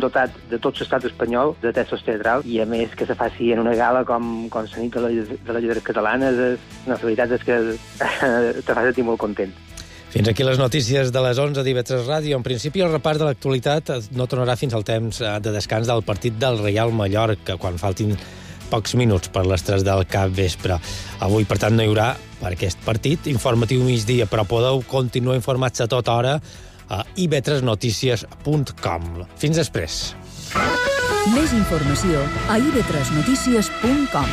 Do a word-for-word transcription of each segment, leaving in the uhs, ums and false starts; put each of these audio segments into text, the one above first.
dotat de tot l'estat espanyol de textos teatrals, i a més que se faci en una gala com, com la nit de, la, de les lletres catalanes, la veritat és que te fa sentir molt content. Fins aquí les notícies de les onze d'I V tres Ràdio. En principi, el repàs de l'actualitat no tornarà fins al temps de descans del partit del Reial Mallorca, quan faltin pocs minuts per les tres del capvespre. Avui, per tant, no hi haurà per aquest partit informatiu migdia, però podeu continuar informats a tota hora a i ve tres notícies punt com. Fins després. Més informació a i ve tres notícies punt com.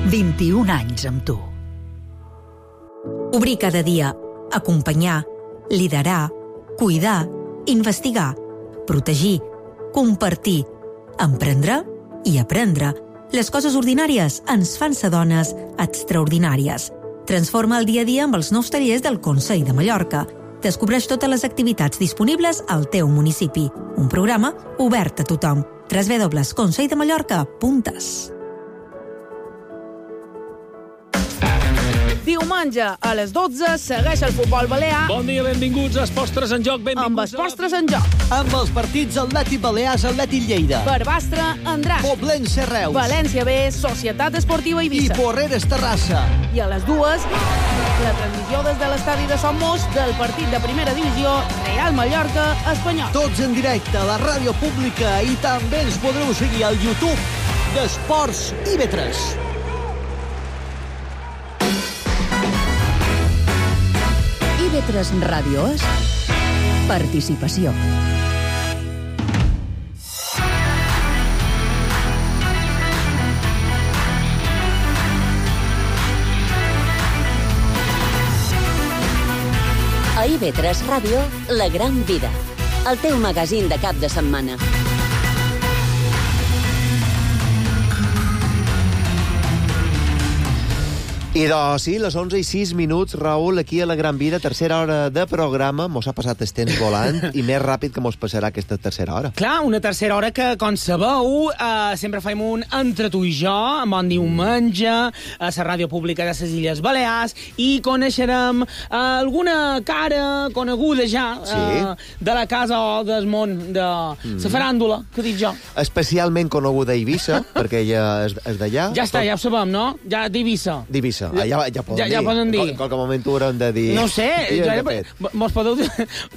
vint-i-un anys amb tu. Obrir cada dia, acompanyar, liderar, cuidar, investigar, protegir, compartir, emprendre i aprendre. Les coses ordinàries ens fan ser dones extraordinàries. Transforma el dia a dia amb els nous tallers del Consell de Mallorca. Descobreix totes les activitats disponibles al teu municipi. Un programa obert a tothom. w w w punt consell de mallorca punt es. Diumenge, a les dotze, segueix el futbol balear. Bon dia, benvinguts a Esports tres en joc. Benvinguts amb Esports tres en joc. Amb els partits Atlètic Balears, Atlètic Lleida. Barbastre, Andratx. Poblense, Reus. València B, Societat Esportiva Eivissa. I Porreres, Terrassa. I a les dues, la transmissió des de l'estadi de Sant Mos del partit de primera divisió Real Mallorca Espanyol. Tots en directe a la ràdio pública i també ens podreu seguir al YouTube d'Esports I V tres. I ve tres Ràdio és participació. A I ve tres Ràdio, La Gran Vida, el teu magazín de cap de setmana. I doncs sí, les onze i sis minuts, Raül, aquí a la Gran Vida, tercera hora de programa. Mos ha passat el temps volant i més ràpid que mos passarà aquesta tercera hora. Clar, una tercera hora que, com sabeu, eh, sempre fem un entre tu i jo, en bon diumenge, a la ràdio pública de les Illes Balears, i coneixerem eh, alguna cara coneguda ja eh, sí. de la casa o del món de la mm. faràndula, que dic jo. Especialment coneguda a Eivissa, perquè ella és, és d'allà. Ja està, ja ho sabem, no? Ja d'Eivissa. D'Eivissa. Ah, ja, ja poden ja, dir. Ja poden dir. En qualque moment ho haurem de dir. No sé. Ja, mos podeu dir...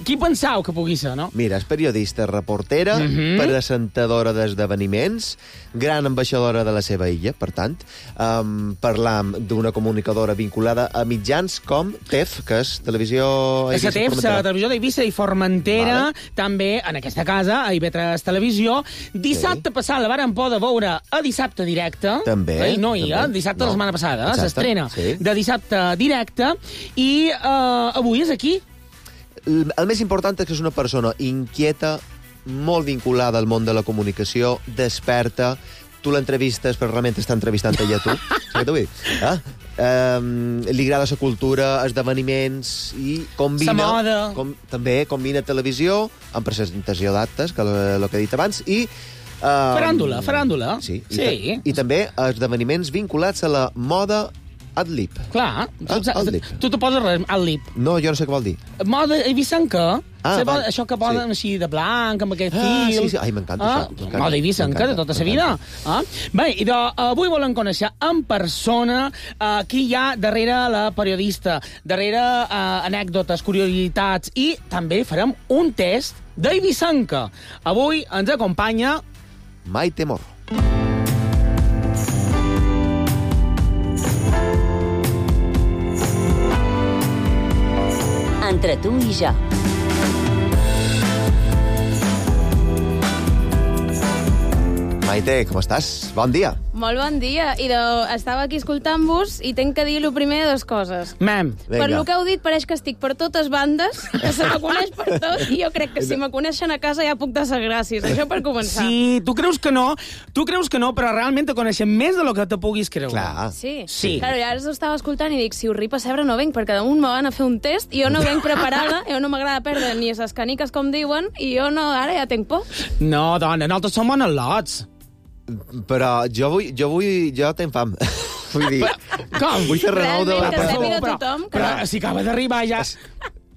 Qui pensau que pugui ser, no? Mira, és periodista, reportera, uh -huh. presentadora d'esdeveniments, gran ambaixadora de la seva illa, per tant, um, parlam d'una comunicadora vinculada a mitjans com T E F, que és Televisió Eivissa Formentera. T E F, la Televisió d'Eivissa i Formentera, vale. També en aquesta casa, a I ve tres Televisió. Dissabte sí. passat la vàrem poder veure a Dissabte Directe. També. Eh? No, i també. dissabte no. la setmana passada, s'estrena sí. de Dissabte Directe, i uh, avui és aquí. El, el més important és que és una persona inquieta, molt vinculada al món de la comunicació, desperta. Tu l'entrevistes, però realment està entrevistant ella a tu. Saps què vull dir? Ah? Um, li agrada la cultura, esdeveniments, i combina... La moda. Com, també combina televisió amb presentació d'actes, que el que he dit abans, i... Um, faràndula, faràndula. Sí. I, sí. I també esdeveniments vinculats a la moda ad-lib. Clar. Ah, ad-lib. Tu te poses res, ad-lib. No, jo no sé què vol dir. Moda eivissenca. Ah, Seba, val. això que posen Sí. així de blanc, amb aquest Ah, fil. sí, sí. Ai, m'encanta ah, això. Moda eivissenca de tota la vida. Ah? Bé, i de, avui volem conèixer en persona uh, qui hi ha darrere la periodista, darrere uh, anècdotes, curiositats, i també farem un test d'eivissenca. Avui ens acompanya Maite Morro. Entre tu i jo. Maite, com estàs? Bon dia. Molt bon dia. I de... estava aquí escoltant-vos i tenc que dir el primer dues coses. Mem. Per lo que heu dit, pareix que estic per totes bandes, que se me coneix per tot, i jo crec que si me coneixen a casa ja puc deixar gràcies. Això per començar. Sí, tu creus que no, tu creus que no, però realment te coneixem més de lo que te puguis creure. Clar. Sí? Sí. Claro, ja ara ho estava escoltant i dic, si us ri pessebre no venc, perquè damunt me van a fer un test i jo no venc preparada, jo no m'agrada perdre ni les caniques, com diuen, i jo no, ara ja tenc por. No, dona, nosaltres som bones lots. Però jo vull... Jo, vull, jo tenc fam. Vull dir... Com? Vull fer renou de... Realment, que Per sàpiga favor, tothom que... Però si acaba d'arribar ja...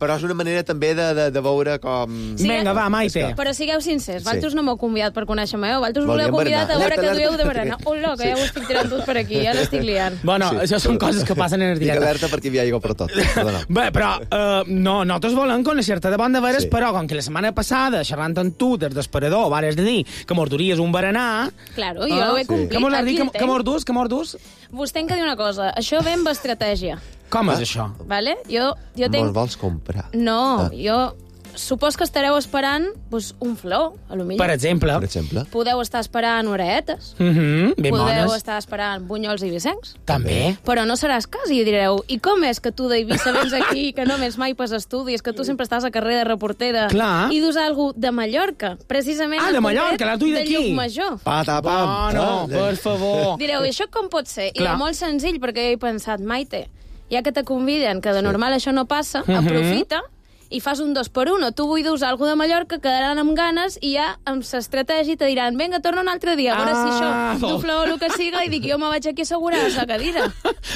Però és una manera també de, de, de veure com... Sí, Vinga, va, Maite. Però sigueu sincers, Sí. Valtros no m'heu convidat per conèixer-me, eh? Valtros Volíem voleu convidat a berenar. veure que Alerta, dueu de alerta. berenar. Hola, que Sí. ja ho estic tirant tot per aquí, ja l'estic liant. Bueno, Sí. això són coses que passen en el Dic directe. alerta perquè hi ha aigua per tot. Perdona. Bé, però uh, no, nosaltres volem conèixer-te de bon de veres, Sí. però com que la setmana passada, xerrant amb tu des d'esperador, vares de dir que mos duries un berenar... Claro, jo ho he complit. Que mos has dit? Aquí Que, el que tenc. mos dus? Que mos dus? Vos tenc que dir una cosa. Això ve amb estratègia, Com Ah. és això? vale? Jo, jo Me'ls tenc... vols comprar? No, Ah. jo... Supos que estareu esperant pues, un flor, a lo millor. Per exemple. Per exemple? Podeu estar esperant oreetes. Mm -hmm, ben Podeu bones. estar esperant bunyols i vicencs. També. Però no seràs cas i direu, i com és que tu d'Eivissa vens aquí, que només mai pas estudis, que tu sempre estàs a carrer de reportera Clar. i dus algú de Mallorca, precisament Ah, en de concret, Mallorca, la tuia de d'aquí. Llucmajor. Pata, pam. Bueno, Ah, per favor. Direu, i això com pot ser? I Clar. de molt senzill, perquè jo he pensat, Maite, ja que te conviden, que de normal això no passa, Mhm. aprofita i fas un dos per uno. Tu vull dur algú de Mallorca, quedaran amb ganes i ja amb l'estratègia te diran vinga, torna un altre dia, a veure Ah, si això vol. du flor o el que siga i dic jo me vaig aquí assegurar a la cadira.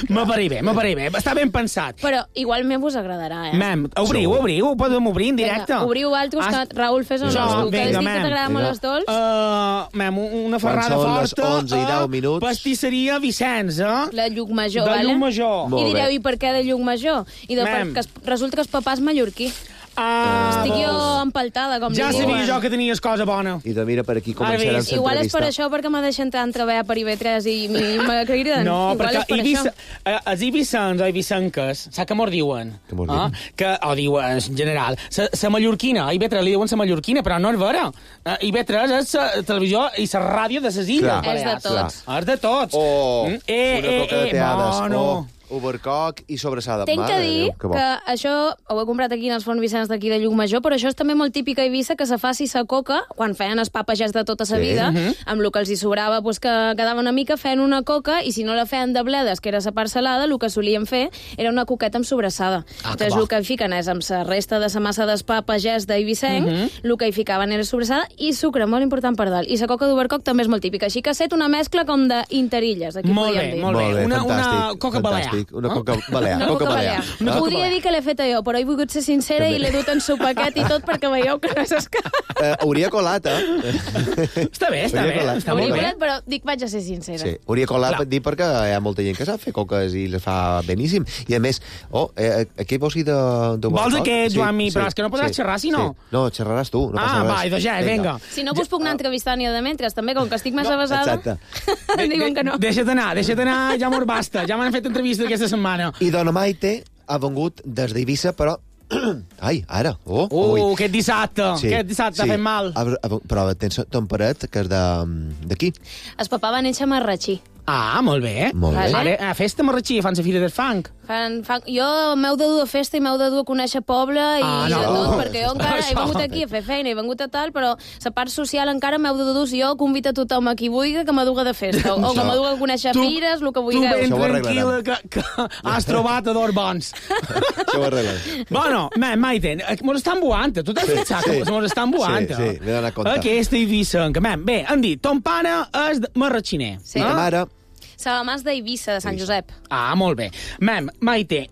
M'apareix bé, m'apareix bé. Està ben pensat. Però igualment vos agradarà, eh? Mem, obriu, obriu, podem obrir en directe. Vinga, obriu altres, Ah, que Raül fes un Jo, dos, que has vinga, dit que mem. t'agrada molt Vinga. les dolç. Uh, mem, una ferrada són les forta. onze i deu minuts. Pastisseria Vicenç, eh? La Llucmajor, de vale? Llucmajor. Molt I direu, bé. i per què de Llucmajor? I de Mem. perquè es- resulta que el papà és mallorquí. Ah, Estic jo vols. empaltada, com Ja li sabia diuen. jo que tenies cosa bona. I de mira, per aquí Ara començarem ves, Igual és per l'entrevista. això, perquè m'ha deixat entrar en treballar per I V tres i i m'agriden. No, Igual perquè és per Eivissa, això. eh, els Eivissans o Eivissenques, saps què mos diuen? Què mos Ah, diuen? que, o diuen, en general, la mallorquina, a I V tres li diuen la mallorquina, però no és vera. Uh, I V tres és la televisió i la ràdio de les Illes Clar. És de Balears. tots. És de tots. O Mm, eh, una eh, coca de eh, teades, bueno. o overcock i sobrassada. Tenc Mare que de dir Déu, que bo. que això ho he comprat aquí en els Fons Vicenç d'aquí de Llucmajor, però això és també molt típic a Eivissa, que se faci sa coca, quan feien els papagès de tota sa Sí. vida, Mhm. amb el que els hi sobrava, pues, que quedava una mica, feien una coca, i si no la feien de bledes, que era sa part salada, el que solien fer era una coqueta amb sobrassada. Ah, Entonces, que bo. el que hi fiquen és amb sa resta de sa massa d'espà pagès d'Eivissenc, Mhm. el que hi ficaven era sobrassada i sucre, molt important per dalt. I sa coca d'Overcock també és molt típica. Així que ha set una mescla com d'interilles, aquí Molt podríem bé, dir. molt bé. Molt bé, Una- una fantàstic, coca balear. fantàstic. Una Ah? coca balear. Una coca coca balear. balear. Una coca Podria balear. dir que l'he feta jo, però he volgut ser sincera També. i l'he dut en su paquet i tot perquè veieu que no és escap. Eh, hauria colat, eh? Està bé, està Hauria bé, colat. està Hauria molt bé. colat, però dic, vaig a ser sincera. Sí, hauria colat Clar. per dir perquè hi ha molta gent que sap fer coques i les fa beníssim. I a més, oh, eh, aquí vols dir de... de Vols Overcock? aquest, Joan-mi? Però és que no podràs xerrar, si no. Sí. No, xerraràs tu, no passa Ah, res. va, idò ja, vinga. Si no vos puc anar entrevistant jo de mentre, també, com que estic més No, avasada, exacte. em diuen que no. Deixa't anar, deixa't anar, ja mos basta. Ja m'han fet entrevista aquesta setmana. I Dona Maite ha vengut des d'Eivissa, però... Ai, ara. Oh, Uh, ui. aquest dissabte, aquest dissabte ha fet mal. Ha, ha, però tens ton paret, que és de- d'aquí. El papà va néixer a Marratxí. Ah, molt bé. Molt bé. Vale, a festa marratxí, fan la fira del funk. Fan, fan... Jo m'heu de dur a festa i m'heu de dur a conèixer poble i Ah, de no. tot, perquè jo encara he Això. vengut aquí a fer feina, he vengut a tal, però la part social encara m'heu de dur. Si jo convido a tothom a qui vulgui que m'aduga de festa, o, o que m'aduga a conèixer Tu- fires, el que Tu vulgueu. ben Això ho tranquil·la arreglarem. que, que has trobat a dos bons. Això ho arreglarem. Bueno, ma, Maite, mos estan buant, tu t'has fixat Sí. que mos estan buant. Sí, sí, m'he donat compte. Aquesta Eivissa, que, man, bé, han dit, ton pare és de- marratxiner. Sí. I ta mare... Salamàs d'Eivissa, de Sant Josep. Ah, molt bé. Mem, Maite,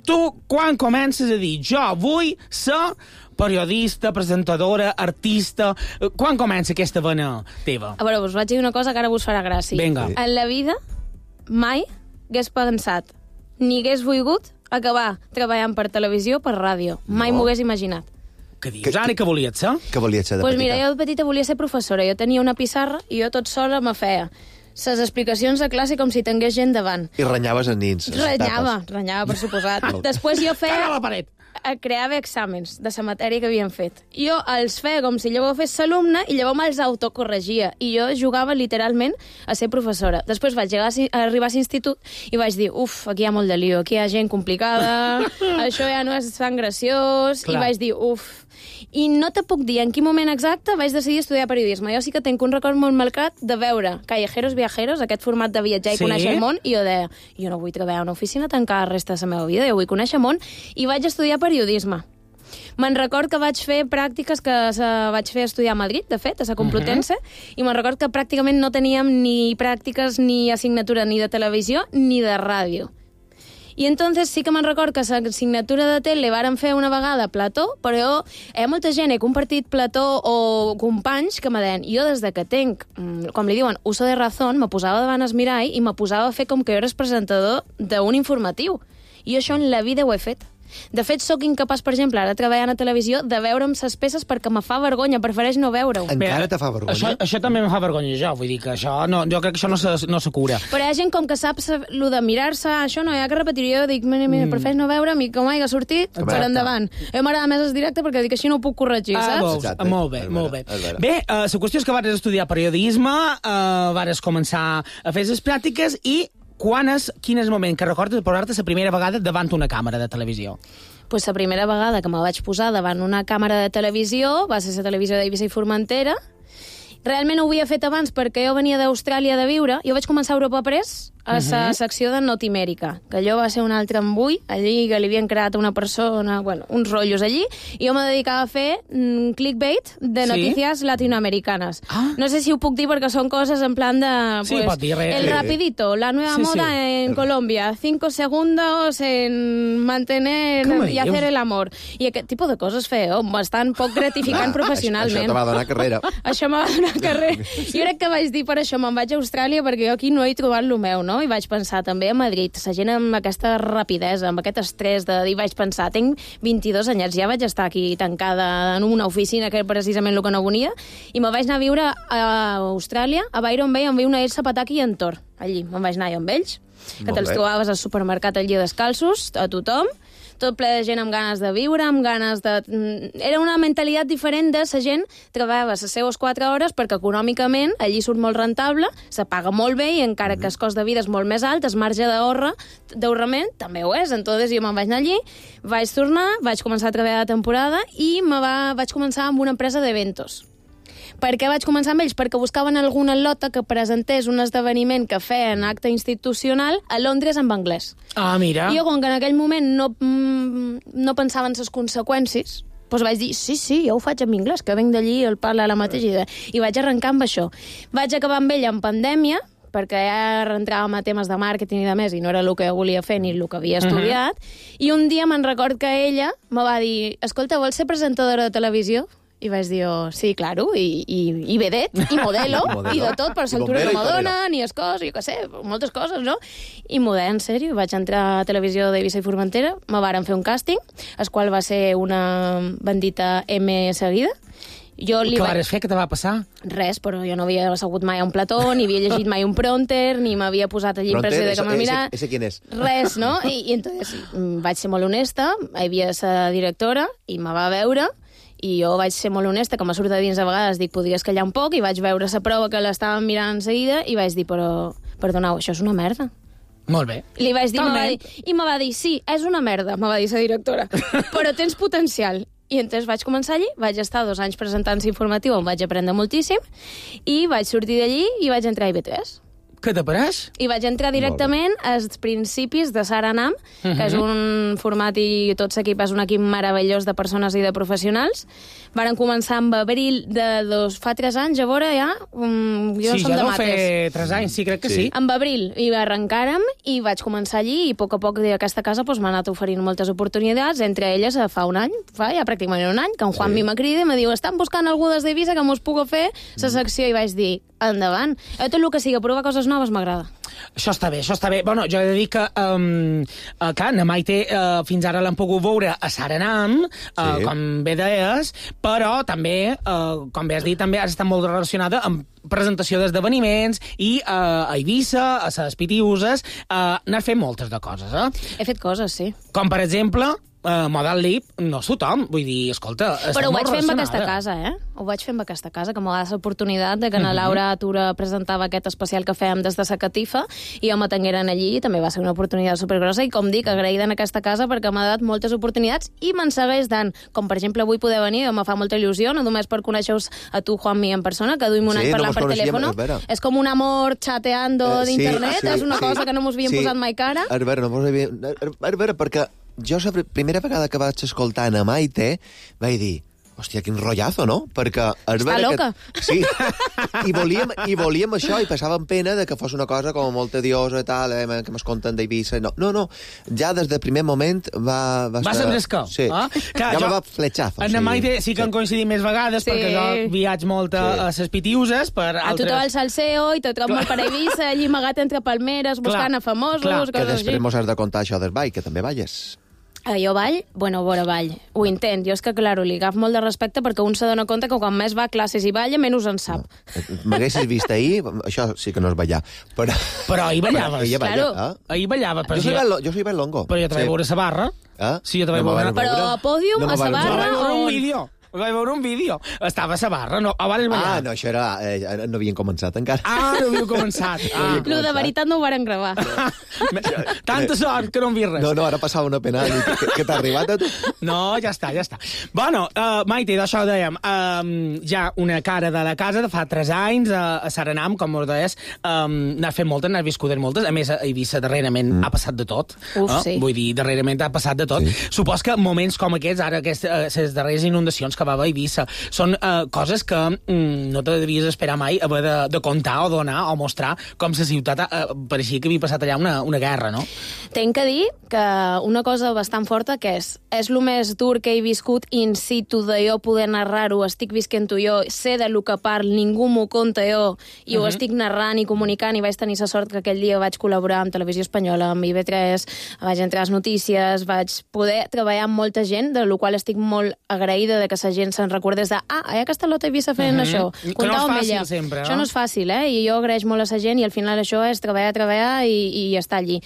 tu quan comences a dir jo vull ser periodista, presentadora, artista, eh, quan comença aquesta vena teva? A veure, us vaig dir una cosa que ara vos farà gràcia. Vinga. En la vida, mai hagués pensat, ni hagués volgut acabar treballant per televisió o per ràdio. Mai No. m'ho hagués imaginat. Què dius, Anna, que volies ser? Que volies ser de Doncs pues petita? mira, jo de petita volia ser professora. Jo tenia una pissarra i jo tot sola me feia ses explicacions de classe com si tingués gent davant. I renyaves els nins. les Renyava, tapes. renyava, per suposat. Després jo Cara a feia... la paret. creava exàmens de la matèria que havien fet. Jo els feia com si llavors fes l'alumne i llavors me'ls autocorregia. I jo jugava literalment a ser professora. Després vaig llegar a arribar a l'institut i vaig dir, uf, aquí hi ha molt de lío, aquí hi ha gent complicada, això ja no és tan graciós, Clar. I vaig dir, uf. I no te puc dir en quin moment exacte vaig decidir estudiar periodisme. Jo sí que tinc un record molt marcat de veure Callejeros Viajeros, aquest format de viatjar i sí? conèixer el món, i jo deia, jo no vull treballar a una oficina tancada el resta de la meva vida, jo vull conèixer el món, i vaig estudiar periodisme. Me'n record que vaig fer pràctiques que vaig fer estudiar a Madrid, de fet, a la Complutense, uh-huh. i me'n record que pràcticament no teníem ni pràctiques ni assignatura ni de televisió ni de ràdio. I entonces sí que me'n record que l'assignatura de tele varen fer una vegada plató, però hi ha molta gent, he compartit plató o companys que me deien, jo des de que tenc, com li diuen, uso de razón, me posava davant el mirall i me posava a fer com que jo eres presentador d'un informatiu. I jo això en la vida ho he fet. De fet, sóc incapaç, per exemple, ara treballant a televisió, de veure'm ses peces perquè me fa vergonya, prefereix no veure-ho. Encara te fa vergonya? Això, això també me fa vergonya, jo. Vull dir que això no, jo crec que això no se, no se cura. Però hi ha gent com que sap lo de mirar-se, això no hi ha que repetir. Jo dic, mira, mira, mm. prefereix no veure'm i com hagi sortit, Exacte. per endavant. A mi m'agrada més el directe perquè dic així no ho puc corregir, ah, saps? Exacte. Molt bé, molt bé. Bé, uh, la qüestió és que vas estudiar periodisme, uh, vas començar a fer les pràctiques i quan és, quin és el moment que recordes de posar-te la primera vegada davant una càmera de televisió? Pues la primera vegada que me vaig posar davant una càmera de televisió va ser la televisió d'Eivissa i Formentera. Realment ho havia fet abans perquè jo venia d'Austràlia de viure. Jo vaig començar a Europa Press, a la uh-huh. secció de Notimèrica, que allò va ser un altre embull, allí que li havien creat una persona, bueno, uns rotllos allí, i jo me dedicava a fer mm, clickbait de notícies sí? latinoamericanes. Ah. No sé si ho puc dir perquè són coses en plan de... Sí, pues, pot dir res. El rapidito, la nueva sí, moda sí. en Colombia, cinco segundos en mantener y hacer el amor. I aquest tipus de coses feo, bastant poc gratificant ah, professionalment. Això te va donar carrera. Això m'ha donat carrera. Jo crec que vaig dir per això me'n vaig a Austràlia perquè jo aquí no he trobat lo meu, no? I vaig pensar també a Madrid, la gent amb aquesta rapidesa, amb aquest estrès de dir, vaig pensar, tinc vint-i-dos anyets, ja vaig estar aquí tancada en una oficina que era precisament el que no volia, i me vaig anar a viure a Austràlia, a Byron Bay, on viu una Elsa Pataki i en Thor. Allí me'n vaig anar jo amb ells, que te'ls trobaves al supermercat allí descalços, a tothom, tot ple de gent amb ganes de viure, amb ganes de... Era una mentalitat diferent de la gent treballava les seues quatre hores perquè econòmicament allí surt molt rentable, se paga molt bé i encara que el cost de vida és molt més alt, el marge d'ahorrament també ho és. Entonces jo me'n vaig anar allí, vaig tornar, vaig començar a treballar de temporada i me va, vaig començar amb una empresa d'eventos. Per què vaig començar amb ells? Perquè buscaven alguna lota que presentés un esdeveniment que feien acte institucional a Londres en anglès. Ah, mira. I jo, com que en aquell moment no, no pensava en les conseqüències, doncs vaig dir, sí, sí, jo ho faig en anglès, que venc d'allí, el parla la mateixa idea. I vaig arrencar amb això. Vaig acabar amb ella en pandèmia, perquè ja entràvem a temes de màrqueting i de més, i no era el que volia fer ni el que havia estudiat, uh-huh. i un dia me'n record que ella me va dir, escolta, vols ser presentadora de televisió? I vaig dir, oh, sí, claro, i, i, i vedet, i modelo, modelo, i de tot, per l'altura que me donen, i es cos, i jo què sé, moltes coses, no? I model, en sèrio, vaig entrar a televisió d'Eivissa i Formentera, me varen fer un càsting, el qual va ser una bendita M seguida. Jo li Què vaig... vares fer? Què te va passar? Res, però jo no havia assegut mai a un plató, ni havia llegit mai un prompter, ni m'havia posat allí en pressió de que m'ha mirat. Ese quién és? Res, no? I, i entonces vaig ser molt honesta, hi havia la directora, i me va veure, i jo vaig ser molt honesta, que m'ha sortit dins a vegades, dic, podries callar un poc, i vaig veure la prova que l'estàvem mirant en seguida, i vaig dir, però, perdoneu, això és una merda. Molt bé. Li vaig dir, va dir, i me va dir, sí, és una merda, me va dir la directora, però tens potencial. I entonces vaig començar allí, vaig estar dos anys presentant informatiu, on vaig aprendre moltíssim, i vaig sortir d'allí i vaig entrar a I V tres. Què te pareix? I vaig entrar directament als principis de Saranam, uh-huh. que és un format i tot l'equip és un equip meravellós de persones i de professionals. Varen començar amb abril de dos, fa tres anys, a veure, ja, um, jo sí, som ja de deu mates. fer tres anys, sí, crec que sí. sí. Amb abril hi arrencàrem i vaig començar allí i a poc a poc d'aquesta casa pues, m'ha anat oferint moltes oportunitats, entre elles fa un any, fa ja pràcticament un any, que en Juan sí. mi crida i me diu, estan buscant algú des d'Eivissa que mos puga fer la secció, i vaig dir, endavant. A tot el que sigui provar coses noves m'agrada. Això està bé, això està bé. Bueno, jo he de dir que, um, que na Maite uh, fins ara l'hem pogut veure a Saranam, uh, sí. com bé deies, però també, uh, com bé has dit, també has estat molt relacionada amb presentació d'esdeveniments i uh, a Eivissa, a les Pitiuses, uh, n'has fet moltes de coses, eh? He fet coses, sí. Com, per exemple, uh, Model Lip no és tothom. Vull dir, escolta, però ho vaig fer amb relacionada. aquesta casa, eh? Ho vaig fer amb aquesta casa, que m'ho va dar l'oportunitat de que na Laura Tura presentava aquest especial que fèiem des de sa catifa i jo m'atengueren allí i també va ser una oportunitat supergrossa i, com dic, agraïda en aquesta casa perquè m'ha dat moltes oportunitats i me'n segueix dant. Com, per exemple, avui poder venir, me fa molta il·lusió, no només per conèixer-vos a tu, Juanmi, en persona, que duim un Sí, any no parlant mos per coneixíem, telèfono. és vera. És com un amor chateando Eh, sí, d'internet, sí, és una sí. cosa que no mos havíem Sí. posat mai cara. A veure, no mos havíem... A veure, perquè jo la primera vegada que vaig escoltar a Maite vaig dir, hòstia, quin rotllazo, no? Perquè... Està loca. Que... Sí, I volíem, i volíem això i passàvem pena de que fos una cosa com molt tediosa i tal, eh, que m'es conten d'Eivissa. No, no, no, ja des del primer moment va... Va, Va ser fresca. Sí, Ah? Clar, ja jo- me va fletxar. En Maite sí que han coincidit més vegades, Sí. perquè jo viatge molt a, a ses pitiuses per A tu altres... trobar el salseo i te trobo molt per Eivissa, allí amagat entre palmeres, buscant a famosos, clar, Que coses després així. mos has de contar això del ball, que també balles. Eh, jo ball, bueno, vora ball, ho intent. Jo és que, claro, li agaf molt de respecte perquè un se dona compte que quan més va a classes i balla, menys en sap. M'haguessis vist ahir, això sí que no és ballar. Però, Però ahir ballaves. Però ella balla, Claro. eh? Ahir ballava. Però Jo soy, jo, ben, lo- jo soy ben longo. però jo te vaig Sí. veure a la barra. Eh? Sí, jo te vaig No me veure. van Però veure. a pòdium, No me a sa van Jo barra, vaig veure un on? vídeo. Vaig veure un vídeo. Estava a la barra, no, abans ballar. Ah, no, això era... Eh, no havien començat encara. Ah, no havíeu començat. Ah. Lo de veritat no ho varen gravar. Tanta sort que no hem vist res. No, no, ara passava una pena. Que, que t'ha arribat a tu? No, ja està, ja està. Bueno, uh, Maite, d'això dèiem, um, ja una cara de la casa de fa tres anys, a, a Saranam, com us deies, um, n'has fet moltes, n'has viscut moltes, a més a Eivissa darrerament mm. ha passat de tot. Uf, eh? sí. Vull dir, darrerament ha passat de tot. Sí. Supos que moments com aquests, ara aquestes uh, darreres inundacions que va haver a Eivissa, són uh, coses que mm, no te devies esperar mai haver de, de contar o donar o mostrar com la ciutat uh, pareixia que havia passat allà una, una guerra, no? Tenc que dir que una cosa bastant forta que és, és el més dur que he viscut in situ de jo poder narrar-ho, estic visquent-ho jo, sé de lo que parl, ningú m'ho conta jo, i ho Mhm. estic narrant i comunicant, i vaig tenir la sort que aquell dia vaig col·laborar amb Televisió Espanyola, amb I V tres, vaig entrar a les notícies, vaig poder treballar amb molta gent, de la qual estic molt agraïda de que la gent se'n recordés de ah, hi ha aquesta lota Eivissa fent Mhm. això. Que no és Comptau amb fàcil ella. sempre, no? Això no és fàcil, eh? I jo agraeix molt a la gent i al final això és treballar, treballar i, i estar allí.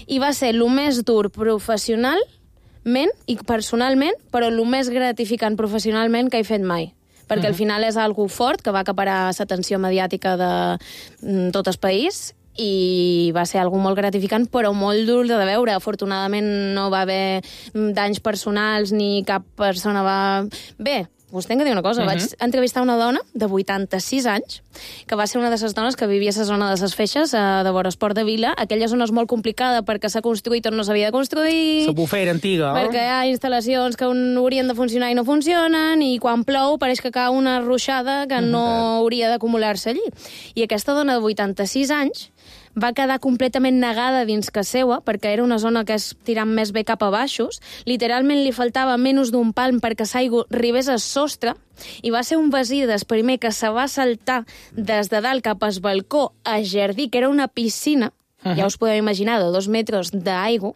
I va ser el més dur professionalment i personalment, però el més gratificant professionalment que he fet mai. Perquè al final és algo fort que va acaparar l'atenció mediàtica de mm, tot el país i va ser algo molt gratificant, però molt dur de veure. Afortunadament no va haver mm, danys personals ni cap persona va... Bé, us tenc que dir una cosa. Uh-huh. Vaig entrevistar una dona de vuitanta-sis anys, que va ser una de les dones que vivia a la zona de les Feixes, eh, de Boresport de Vila. Aquella zona és molt complicada perquè s'ha construït on no s'havia de construir. La bufera antiga. Perquè hi ha instal·lacions que haurien de funcionar i no funcionen, i quan plou pareix que cau una ruixada que no hauria d'acumular-se allí. I aquesta dona de vuitanta-sis anys va quedar completament negada dins que seua, perquè era una zona que és tirant més bé cap a baixos. Literalment li faltava menys d'un palm perquè l'aigua arribés al sostre, i va ser un veí del primer que se va saltar des de dalt cap al balcó a jardí, que era una piscina, uh-huh. ja us podeu imaginar, de dos metres d'aigua,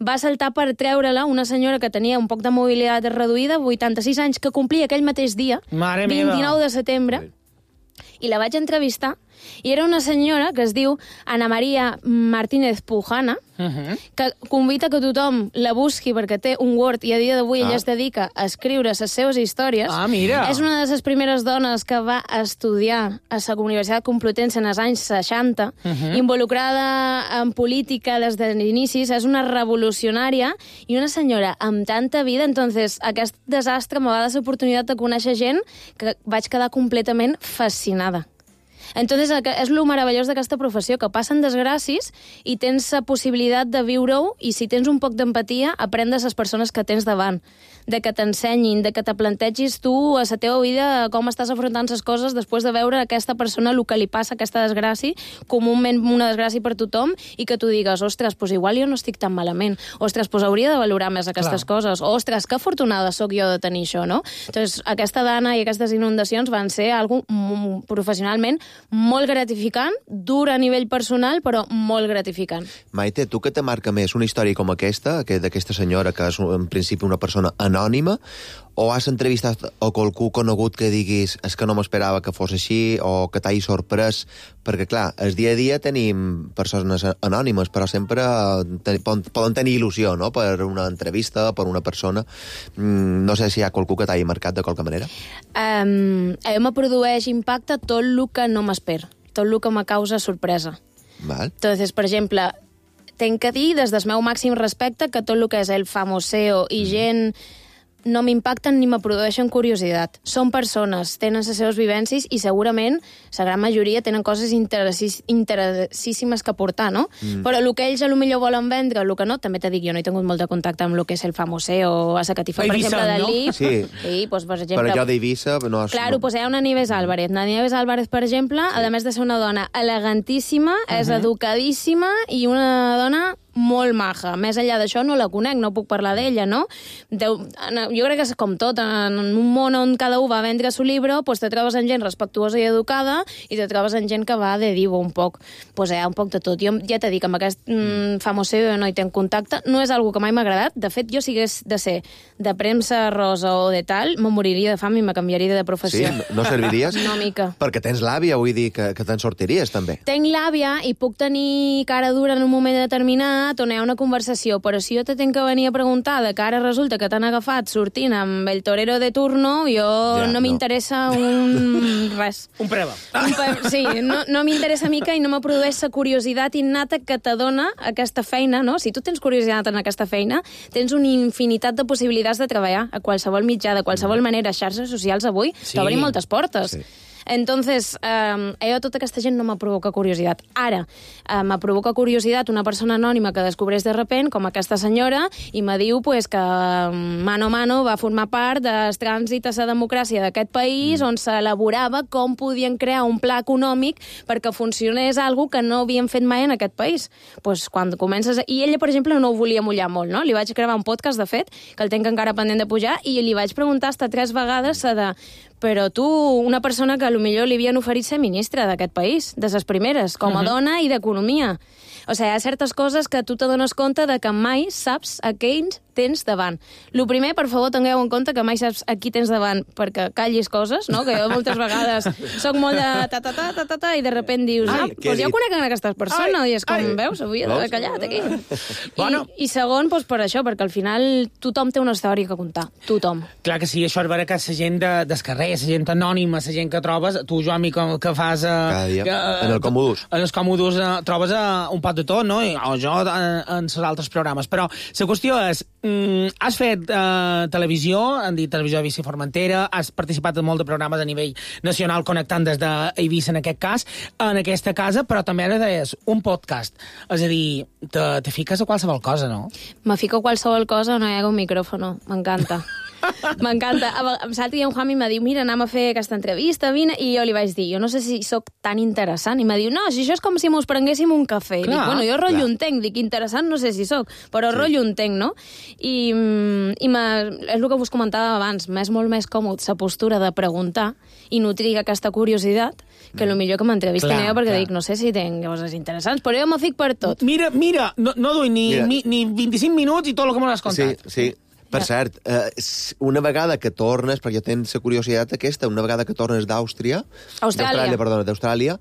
va saltar per treure-la una senyora que tenia un poc de mobilitat reduïda, vuitanta-sis anys, que complia aquell mateix dia, Mare meva. vint-i-nou de setembre, i la vaig entrevistar, i era una senyora que es diu Ana María Martínez Pujana, Uh-huh. que convida que tothom la busqui perquè té un Word i a dia d'avui Ah. ella es dedica a escriure les seves històries. Ah, mira. És una de les primeres dones que va estudiar a la Universitat Complutense en els anys seixanta, Uh-huh. involucrada en política des de l'inicis, és una revolucionària i una senyora amb tanta vida. Entonces, aquest desastre m'ha donat l'oportunitat de conèixer gent que vaig quedar completament fascinada. Entonces, és lo meravellós d'aquesta professió, que passen desgràcies i tens la possibilitat de viure-ho, i si tens un poc d'empatia, aprendes les persones que tens davant, de que t'ensenyin, de que te plantegis tu a la teva vida com estàs afrontant les coses després de veure a aquesta persona el que li passa, aquesta desgràcia, comúment una desgràcia per tothom, i que tu digues, ostres, doncs igual jo no estic tan malament, ostres, doncs hauria de valorar més aquestes Clar. coses, ostres, que afortunada sóc jo de tenir això, no? Entonces, aquesta dana i aquestes inundacions van ser algo m- professionalment molt gratificant, dur a nivell personal, però molt gratificant. Maite, tu què te marca més? Una història com aquesta, que d'aquesta senyora que és en principi una persona anònima, anònima, o has entrevistat a qualcú conegut que diguis és que no m'esperava que fos així, o que t'hagi sorprès, perquè, clar, el dia a dia tenim persones anònimes, però sempre ten, poden tenir il·lusió, no?, per una entrevista, per una persona. No sé si hi ha qualcú que t'hagi marcat de qualque manera. Um, a mi me produeix impacte tot el que no m'espero, tot el que me causa sorpresa. Val. Entonces, per exemple, tenc que dir, des del meu màxim respecte, que tot el que és el famoseo i gent no m'impacten ni me produeixen curiositat. Són persones, tenen les seves vivències i segurament la gran majoria tenen coses interessíssimes que aportar, no? Mm. Però el que ells potser volen vendre, el que no, també t'he dit, jo no he tingut molt de contacte amb el que és el famoseo a la catifa, per exemple, del L I P. Sí, sí pues, per exemple... Per allò d'Eivissa... No has... Claro, pues hi ha una Nieves Álvarez. La Nieves Álvarez, per exemple, sí. A més de ser una dona elegantíssima, uh -huh. és educadíssima i una dona molt maja. Més enllà d'això no la conec, no puc parlar d'ella, no? Deu, jo crec que és com tot, en un món on cada un va a vendre su llibre, pues te trobes en gent respectuosa i educada i te trobes en gent que va de divo un poc. Pues hi ha un poc de tot. Jo ja t'he dit que amb aquest mm, famoseo no hi tenc contacte, no és algo que mai m'ha agradat. De fet, jo si hagués de ser de premsa rosa o de tal, me moriria de fam i me canviaria de professió. Sí? No serviries? No, mica. Perquè tens l'àvia, vull dir, que, que te'n sortiries, també. Tenc l'àvia i puc tenir cara dura en un moment determinat on hi ha una conversació, però si jo te tenc que venir a preguntar de que ara resulta que t'han agafat sortint amb el torero de turno, jo ja, no m'interessa no. un... res. Un preva. Un pe... Sí, no, no m'interessa mica i no me produeix la curiositat innata que t'adona aquesta feina, no? Si tu tens curiositat en aquesta feina, tens una infinitat de possibilitats de treballar a qualsevol mitjà, de qualsevol manera. Xarxes socials avui sí. t'obrin moltes portes. Sí. Entonces, eh, jo tota aquesta gent no me provoca curiositat. Ara, eh, me provoca curiositat una persona anònima que descobreix de repent, com aquesta senyora, i me diu pues, que mano a mano va formar part del trànsit a la democràcia d'aquest país, mm. on s'elaborava com podien crear un pla econòmic perquè funcionés algo que no havien fet mai en aquest país. Pues, quan comences... I ella, per exemple, no ho volia mullar molt, no? Li vaig gravar un podcast, de fet, que el tenc encara pendent de pujar, i li vaig preguntar hasta tres vegades de... Però tu, una persona que potser li havien oferit ser ministra d'aquest país, de les primeres, com a uh-huh. dona i d'economia. O sigui, hi ha certes coses que tu te dones compte de que mai saps a què tens davant. El primer, per favor, tingueu en compte que mai saps a qui tens davant perquè callis coses, no? Que jo moltes vegades soc molt de ta-ta-ta-ta-ta i de repent dius, ah, doncs jo conec aquestes persones ai, i és com, ai. veus, avui he de callar aquí. Bueno. I, I segon, doncs per això, perquè al final tothom té una història que contar. Tothom. Clar que sí, això és vera que la gent de, del carrer, la gent anònima, la gent que trobes, tu, Joan, que, que fas... Cada dia, uh, en el Comodus. En els Comodus uh, trobes uh, un pot de tot, no? I, o jo en, en els altres programes. Però la qüestió és, mm, has fet uh, televisió, han dit Televisió Eivissa i Formentera, has participat en molt de programes a nivell nacional connectant des d'Eivissa, en aquest cas, en aquesta casa, però també ara deies un podcast. És a dir, te, te fiques a qualsevol cosa, no? Me fico a qualsevol cosa, no hi ha un micròfono. M'encanta. M'encanta. L'altre dia un Jami m'ha dit, mira, anem a fer aquesta entrevista, vine, i jo li vaig dir, jo no sé si sóc tan interessant, i m'ha dit, no, si això és com si mos prenguéssim un cafè. Clar, dic, bueno, jo rotllo un tenc, dic, interessant no sé si sóc, però sí. rotllo un tenc, no? I, i és el que vos comentava abans, m'és molt més còmode la postura de preguntar i nutrir aquesta curiositat que el millor que m'entrevisten jo, perquè clar. dic, no sé si tenc coses interessants, però jo me fic per tot. Mira, mira, no, no duim ni, ni, ni vint-i-cinc minuts i tot el que m'ho has contat. Sí, sí. Per cert, eh, una vegada que tornes, perquè jo tens la curiositat aquesta, una vegada que tornes d'Àustria... Austràlia. Perdona, d'Austràlia...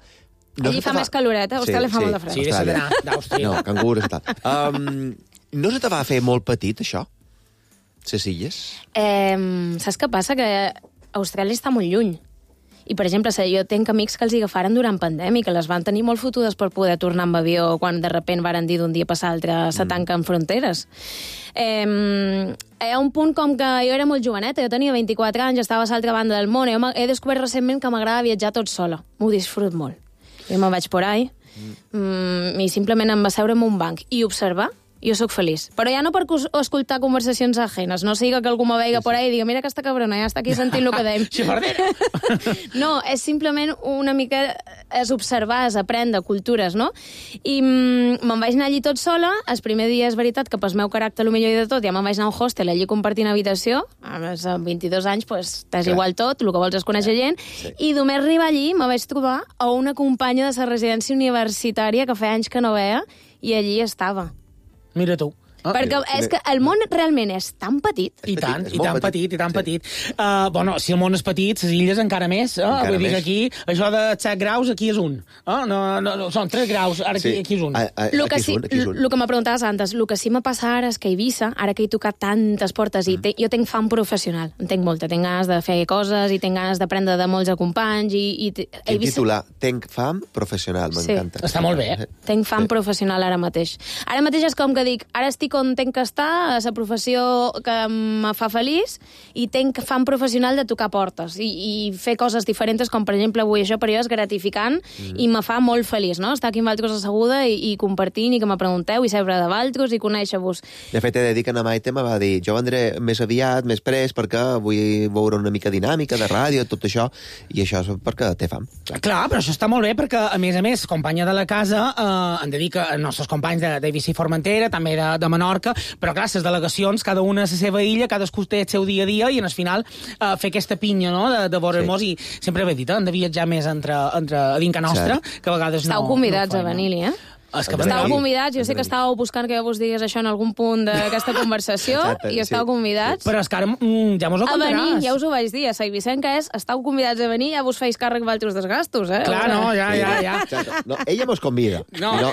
No Allí fa, fa més caloreta, a Austràlia sí, fa sí, molt de fred. Sí, deixa d'anar d'Àustria. No, cangurs i tal. Um, no se te va fer molt petit, això? Les illes? Eh, saps què passa? Que Austràlia està molt lluny. I, per exemple, jo tenc amics que els agafaren durant pandèmia, que les van tenir molt fotudes per poder tornar amb avió quan de repent varen dir d'un dia per l'altre se tanquen fronteres. Eh, hi ha un punt com que jo era molt joveneta, jo tenia vint-i-quatre anys, estava a l'altra banda del món, jo he descobert recentment que m'agrada viatjar tot sola. M'ho disfrut molt. Jo me'n vaig por ahí mm, i simplement em va seure en un banc i observar. Jo sóc feliç. Però ja no per escoltar conversacions ajenes. No siga que algú me veiga por ahí i diga mira aquesta cabrona, ja està aquí sentint el que deim. Xifardera! No, és simplement una mica... és observar, és aprendre cultures, no? I mm, me'n vaig anar allí tot sola. El primer dia és veritat que pel meu caràcter, el millor i de tot, ja me'n vaig anar a un hostel allí compartint habitació. A més, amb vint-i-dos anys, pues, t'és igual tot, el que vols és conèixer gent. Sí. I només arribar allí me vaig trobar a una companya de la residència universitària que feia anys que no veia i allí estava. Mira tu. Ah, Perquè sí, és sí. que el món realment és tan petit. I tant, és i molt tan petit, petit, i tan sí. petit. Uh, bueno, si el món és petit, les illes encara més. Eh? Encara Vull dir que més. aquí, això de set graus, aquí és un. Eh? No, no, no, són tres graus, ara aquí, Sí. aquí és un. A, a, Lo que, aquí sí, és un, aquí és un. lo que me preguntaves antes, el que sí me passa ara és que a Eivissa, ara que he tocat tantes portes, i te, jo tinc fam professional, en tinc molta, tinc ganes de fer coses i tinc ganes d'aprendre de molts companys i, i te- a Quin Eivissa titular? Tenc fam professional, Sí. m'encanta. Està molt bé. tinc fam Sí. professional ara mateix. Ara mateix és com que dic, ara estic on tinc que estar, a la professió que me fa feliç, i tinc fam professional de tocar portes i, i fer coses diferents, com per exemple avui això per jo és gratificant mm. i me fa molt feliç, no? Estar aquí amb altres asseguda i, i compartint i que me pregunteu i saber de valtros i conèixer-vos. De fet, he de dir que na Maite me va dir jo vendré més aviat, més pres, perquè vull veure una mica dinàmica de ràdio, tot això, i això és perquè té fam. Clar. Clar, però això està molt bé perquè, a més a més, companya de la casa, eh, hem de dir que els nostres companys de, de Eivissa i Formentera, també de, de Menorca, però clar, les delegacions, cada una a la seva illa, cadascú té el seu dia a dia, i al final eh, fer aquesta pinya, no?, de, de veure-nos, sí. I sempre he dit, eh, hem de viatjar més entre, entre a dinca nostra, Sí. que a vegades Estàu no... convidats no a venir-hi, eh? És que Estàu vendrem. convidats, jo sé que estàveu buscant que jo vos digués això en algun punt d'aquesta conversació, Exacte, i estàu sí. convidats Però és que ara mm, ja mos ho a venir, contaràs. ja us ho vaig dir, a Saivicenca és, estàu convidats a venir, ja vos feis càrrec d'altres desgastos, eh? Clar, no, ja, ja, ja. Exacte. No, ella mos convida. No. I, no,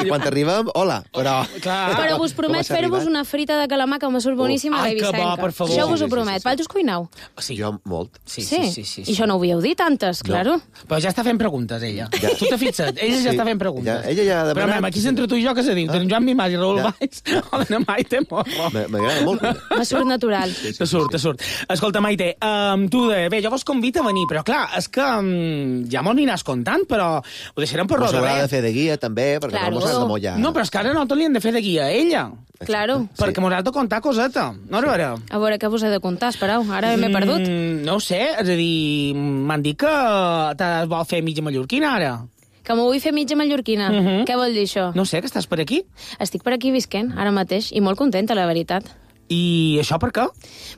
I quan arribem, hola, però... Clar. Però vos Com promet has fer-vos arribat? una frita de calamar que me surt boníssima a Ai, que bo, Eivissenca. per favor. Això vos Sí, ho sí, promet. sí, sí. Valtros cuinau? Sí. Jo molt. Sí, sí, sí, sí, sí. I això no ho havíeu dit antes, claro. Però ja està fent preguntes, ella. Ja. Tu t'ha fixat? Ella ja Sí. està fent preguntes. Ja, ella ja ha Però, demanat- mem, aquí s'entre tu i jo, què se diu? Tenim Joan Mimàs i Raül Ja. Valls, o la Maite Morro. M- M'agrada molt. cuinar. Me surt natural. Te surt, te surt. Escolta, Maite, um, tu de... Bé, jo vos convido a venir, però clar, és que um, ja m'ho aniràs contant, però ho deixarem per Mos lo de haurà de res. fer de guia, també, perquè Claro. no mos has de mollar. No, però és que ara no te li hem de fer de guia a ella, Claro. perquè mos has de contar coseta. No, a veure... A veure, què vos he de contar? Espereu, ara m'he perdut. Mm, no ho sé, és a dir, m'han dit que te vol fer mitja mallorquina ara. Que m'ho vull fer mitja mallorquina. Mhm. Què vol dir això? No sé, que estàs per aquí. Estic per aquí visquent, ara mateix, i molt contenta, la veritat. I això per què?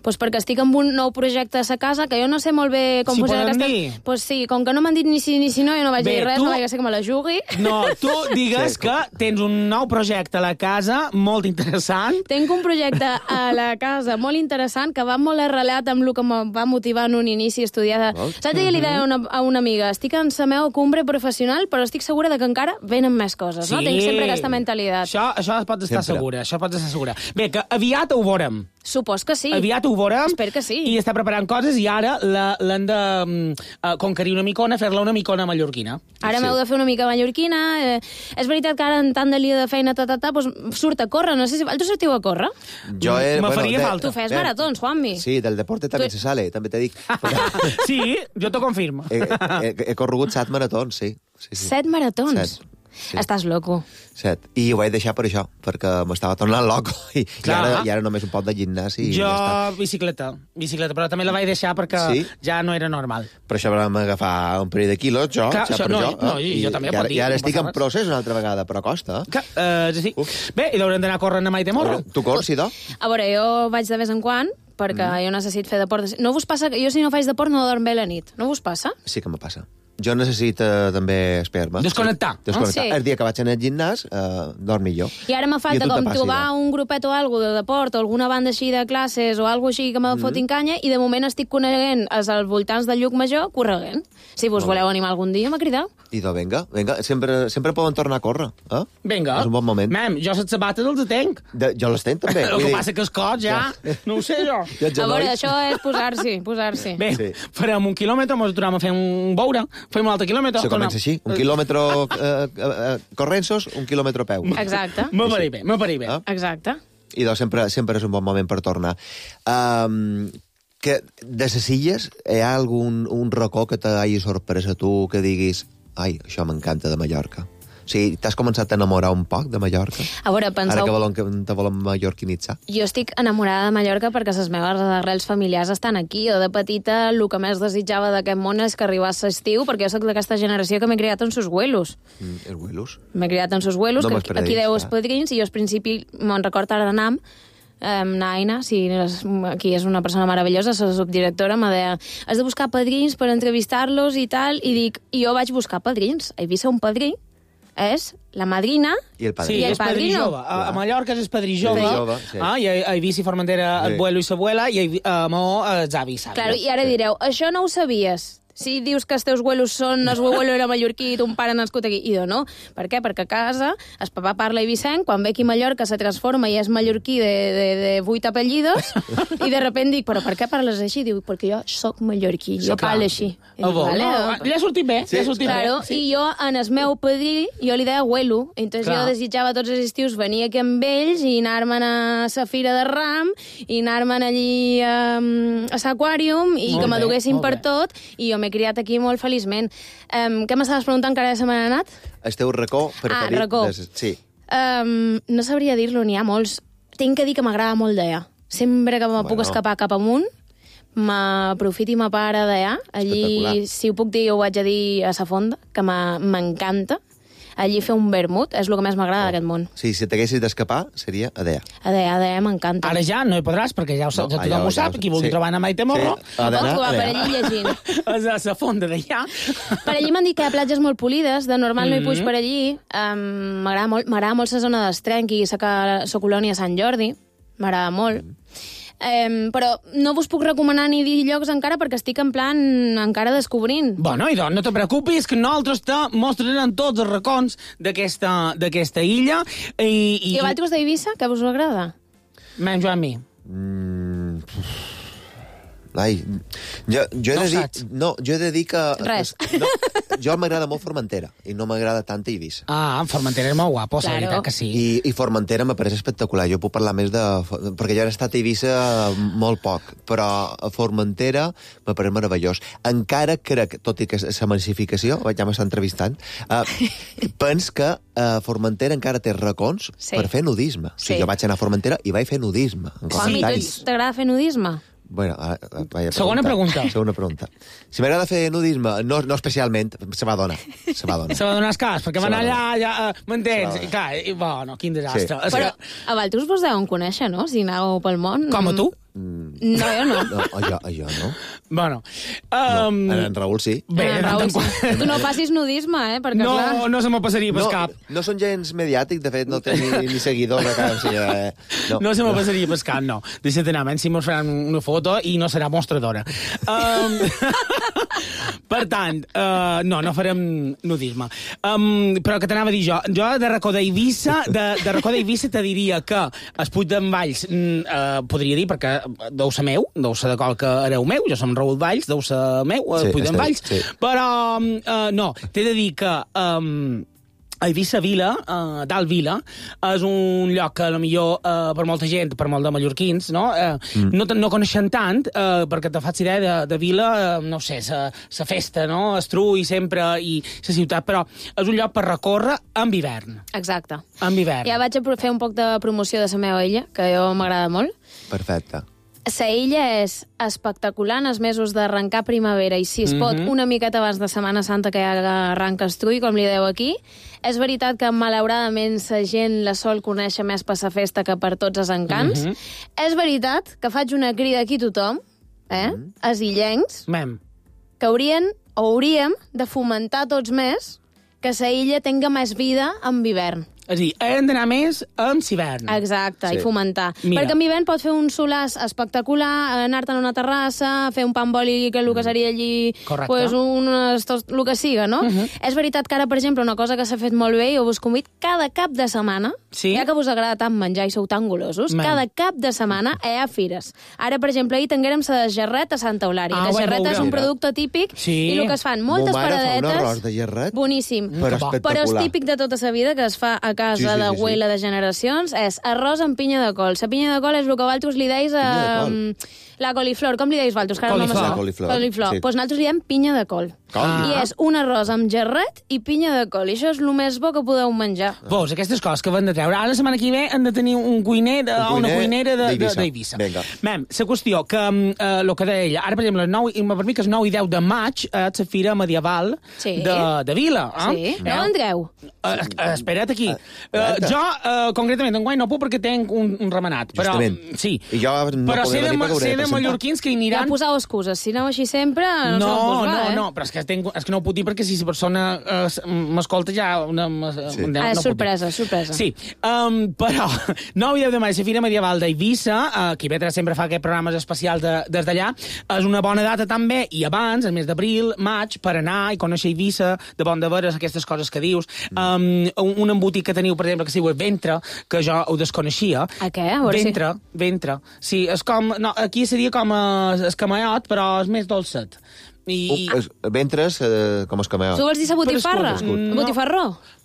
Pues perquè estic amb un nou projecte a sa casa, que jo no sé molt bé com Si posar podem aquesta... dir. Pues sí, com que no m'han dit ni sí ni si no, jo no vaig Bé, dir res, tu- no vaig ser que me la jugui. No, tu digues Sí, que tens un nou projecte a la casa molt interessant. Tenc un projecte a la casa molt interessant que va molt arrelat amb el que em va motivar en un inici a estudiar. Molt. Saps què li deia a una, a una amiga? Estic en la meva cumbre professional, però estic segura de que encara venen més coses, no? Tinc sempre aquesta mentalitat. Això, això pots estar Sempre. segura, això pots estar segura. Bé, que aviat ho veurem. Supos que sí. Aviat ho veurem. Espero que sí. I està preparant coses i ara la- l'han de mm, eh, conquerir una micona, fer-la una micona mallorquina. Ara Sí. m'heu de fer una mica mallorquina. Eh, és veritat que ara en tant de lia de feina, ta, ta, ta, doncs surt a córrer. No sé si... Vosaltres sortiu a córrer? Jo he, Me faria de- falta. Tu fes Bé, maratons, Juanmi. Sí, del deporte també Tu- se sale, també te dic. Sí, jo t'ho confirmo. he, he, he corregut set maratons, sí. sí, sí. Set maratons. Set. Sí. Estàs loco. Set. I ho vaig deixar per això, perquè m'estava tornant loco. I, i, Clar. ara, I ara només un poc de gimnàs i jo, ja està. bicicleta, bicicleta, però també la vaig deixar perquè Sí? ja no era normal. Per això vam agafar un parell de quilos, jo, Clar, ja això- per no, jo. no, eh? i jo també, I pot ara, dir, I ara no estic passa en res. procés una altra vegada, però costa. Eh? Que, uh, sí. Bé, i haurem d'anar corrent a Maite Morro. Tu corres, Idò? A veure, jo vaig de vez en quan, perquè mm. jo necessito fer deport. No vos passa que jo si no faig deport no dorm bé la nit? No vos passa? Sí que me passa. Jo necessito també esperma. Desconnectar. Sí. Desconnectar. Ah, sí? El dia que vaig anar al gimnàs, eh, dorm millor. I ara me I falta a tu te com passa, trobar Idò? un grupet o alguna de deport o alguna banda així de classes o alguna així que me Mm. fotin canya i de moment estic coneguent als voltants del Llucmajor correguent. Si vos voleu animar algun dia, m'ha cridat. Idò, vinga, vinga. Sempre, sempre poden tornar a córrer. Eh? Vinga. És un bon moment. Mem, jo les sabates els tenc. De, jo les tenc, també. El Vull que dir, passa que els cots ja... No ho sé, jo. I els A veure, genolls? això és posar-s'hi, posar-s'hi. Bé, Sí. farem un quilòmetre, mos aturem a fer un boure, fem un altre quilòmetre... Se comença així. Un quilòmetre eh, eh, eh, corrensos, un quilòmetre a peu. Exacte, Me pareix bé, me pareix bé. Ah. exacte. I doncs sempre, sempre és un bon moment per tornar. Um, que de les illes hi ha algun un racó que t'hagi sorprès a tu, que diguis ai, això m'encanta de Mallorca? O sigui, t'has començat a enamorar un poc de Mallorca? A veure, penseu... Ara que volen, que te volen mallorquinitzar. Jo estic enamorada de Mallorca perquè les meves arrels familiars estan aquí. Jo de petita el que més desitjava d'aquest món és que arribés l'estiu, perquè jo sóc d'aquesta generació que m'he criat en sus vuelos. Mm, els huelos. M'he criat en sus vuelos, No que me'ls aquí, aquí perdis, deu clar. els padrins, i jo al principi me'n record ara d'Anam, Um, Naina, sí, és, aquí és una persona meravellosa, la subdirectora, me deia, has de buscar padrins per entrevistar-los i tal, i dic, i jo vaig buscar padrins. A Eivissa un padrí és la madrina i el padrino. Sí, I el és padrí padrino. jove. A, a Mallorca és padrí jove. Padrí jove, sí. Ah, I a, a Eivissa i Formentera Sí. el abuelo i l'abuela, i a Maó els avis. Claro, i ara direu, això no ho sabies. Si dius que els teus abuelos són, el seu abuelo era mallorquí i ton pare nascut aquí. I no. Per què? Perquè a casa el papà parla eivissenc, quan ve aquí a Mallorca se transforma i és mallorquí de, de, de vuit apellidos, i de repente dic, però per què parles així? Diu, perquè jo sóc mallorquí, jo parlo així. I Ah, dic, bo. vale, No, li ha sortit bé, li ha sortit Claro, bé. i jo, en el meu padrí, jo li deia abuelo. Entonces Clar. jo desitjava tots els estius venir aquí amb ells i anar-me'n a la fira de Ram i anar-me'n allí um, a l'aquàrium i Molt que bé, m'aduguessin molt per bé. tot. I jo m'he criat aquí molt feliçment. Um, què m'estaves preguntant que ara se m'ha anat? El teu racó preferit... Ah, racó. De... Sí. Um, no sabria dir-lo, n'hi ha molts. Tinc que dir que m'agrada molt d'allà. Sempre que me Bueno. puc escapar cap amunt, m'aprofito i m'apara d'allà. Allí, Espectacular. si ho puc dir, ho haig de dir a sa fonda, que m'ha- m'encanta. Allí fer un vermut és el que més m'agrada d'aquest món. Sí, si t'haguessis d'escapar, seria a Dea. A d'allà, a d'allà m'encanta. Ara ja no hi podràs, perquè ja ho sap, No, no, allò tothom ho ja sap, ho- qui vulgui sí. trobar a Maite Morro, Sí, ha d'anar Pot a per Dea. allí llegint. és a la fonda d'allà. Per allí m'han dit que hi ha platges molt polides, de normal no hi Mhm. puig per allí. Um, m'agrada molt, m'agrada molt la zona d'Estrenc i la colònia Sant Jordi. M'agrada molt. Um, però no vos puc recomanar ni dir llocs encara perquè estic en plan encara descobrint. Bueno, i doncs no te preocupis, que nosaltres te mostrarem tots els racons d'aquesta d'aquesta illa. I, i, I a vosaltres d'Eivissa, què us agrada? Menys a mi. Mm, ai, jo, jo, he No de dir, saps. no, jo he de dir que... Res. No, jo m'agrada molt Formentera i no m'agrada tant Eivissa. Ah, en Formentera és molt guapo, la Claro. veritat que sí. I, I Formentera me pareix espectacular. Jo puc parlar més de... Perquè jo he estat a Eivissa molt poc, però a Formentera me pareix meravellós. Encara crec, tot i que la massificació, ja m'està entrevistant, uh, pens que uh, Formentera encara té racons Sí. per fer nudisme. O sigui, Sí. jo vaig anar a Formentera i vaig fer nudisme. En Com, i comentaris. tu t'agrada fer nudisme? Bueno, ara, vaya Segona pregunta. Segona pregunta. Si m'agrada fer nudisme, no, no especialment, se va donar. Se va donar. Se va donar el cas, perquè Se van va allà, donar. ja, uh, m'entens? Se va I clar, i, bueno, quin desastre. Sí. És Però que, a vosaltres vos deuen conèixer, no? Si aneu pel món. com a tu? No, jo no. No, jo, jo no. Bueno. no. Um, En Raül sí. Bé, Ah, de tant Raül, en quant- sí. Tu no facis nudisme, eh? Perquè, No, clar... no se me passaria per No, cap. no són gens mediàtics, de fet, no té ni, ni seguidors a cap. O sigui, eh, no. No se me passaria per cap, no. Deixa't anar, menys si mos faran una foto i no serà mostradora. Um, per tant, uh, no, no farem nudisme. Um, però que t'anava a dir jo, jo de racó d'Eivissa, de, de racó d'Eivissa te diria que es Puig d'en Valls uh, podria dir, perquè deu ser meu, deu ser de qual que hereu meu, jo som Raül Valls, deu ser meu, uh, Sí, Puig d'en està bé, Valls, sí. però uh, no, t'he de dir que... Um, a Eivissa Vila, uh, dalt Vila, és un lloc que, a millor uh, per molta gent, per molt de mallorquins, no, uh, mm. no, no coneixen tant, uh, perquè te faig idea de, de Vila, uh, no sé, sa festa, no?, estrull sempre, i la ciutat, però és un lloc per recórrer amb hivern. Exacte. Amb hivern. Ja vaig a fer un poc de promoció de la meva illa, que jo m'agrada molt. Perfecte. La illa és espectacular en els mesos d'arrencar primavera i, si es pot, Mhm. una miqueta abans de Setmana Santa, que ja arranca estrull, com li deu aquí. És veritat que, malauradament, la gent la sol conèixer més per la festa que per tots els encants. Mhm. És veritat que faig una crida aquí a tothom, eh? Mhm. Els illencs, Mem. que haurien o hauríem de fomentar tots més que la illa tenga més vida amb hivern. És a dir, hem d'anar més amb l'hivern. Exacte, Sí. i fomentar. Mira. Perquè amb hivern pot fer un solàs espectacular, anar-te'n a una terrassa, fer un pa amb oli, que el que seria allí, Correcte. pues, un, tot, el que siga, no? Mhm. És veritat que ara, per exemple, una cosa que s'ha fet molt bé, i us convido cada cap de setmana, Sí? ja que us agrada tant menjar i sou tan golosos, Man. cada cap de setmana hi ha fires. Ara, per exemple, ahir tinguérem la de gerret a Santa Eulària. Ah, La ho vaig gerret és un veure. producte típic, Sí. i el que es fan, moltes Mo mare fa paradetes... un arròs de gerret, Boníssim. però que bo. espectacular. Però és típic de tota la vida, que es fa a casa Sí, sí, sí, d'abuela sí. de generacions, és arròs amb pinya de col. La pinya de col és el que vosaltres li deis a... Pinya de col. La coliflor. Com li deis vosaltres? Que ara no me Coliflor. sap. Coliflor, Coliflor. sí. Pues nosaltres li diem pinya de col. Com? Ah. I és un arròs amb gerret i pinya de col. I això és el més bo que podeu menjar. Vos, aquestes coses que van de treure. Ara, la setmana que ve, han de tenir un cuiner de, Un una cuiner cuinera de- de- d'Eivissa. d'Eivissa. Vinga. Mem, la qüestió, que eh, el que deia ella, ara, per exemple, el nou, per mi que és nou i deu de maig, és la fira medieval Sí. de, de Vila. Eh? Sí. No vendreu? Eh, eh, espera't aquí. Eh, espera't. jo, eh, concretament, enguany no puc perquè tenc un, un remenat. Però, Justament. sí. I jo no però podré sé de, venir perquè hauré sé de de hi ha mallorquins que hi aniran... Ja poseu excuses. Si aneu així sempre, no, no no no, eh? no, però és que, tenc, és que no ho puc dir perquè si la persona eh, m'escolta ja... Una, sí. no, ah, no sorpresa, sorpresa. Sí, um, però nou i deu de maig, la Fira Medieval d'Eivissa, uh, que Ivetra sempre fa aquests programes especials de, des d'allà, és una bona data també, i abans, el mes d'abril, maig, per anar i conèixer Eivissa, de bon de veres, aquestes coses que dius. Um, un, un embotit que teniu, per exemple, que es diu Ventre, que jo ho desconeixia. A què? A veure ventre, si... ventre. Sí, és com... No, aquí seria com escamaiot, però és més dolcet. I... Uh, ventres, eh, com escamaiot. Tu vols dir sa botifarra? No. Botifarró?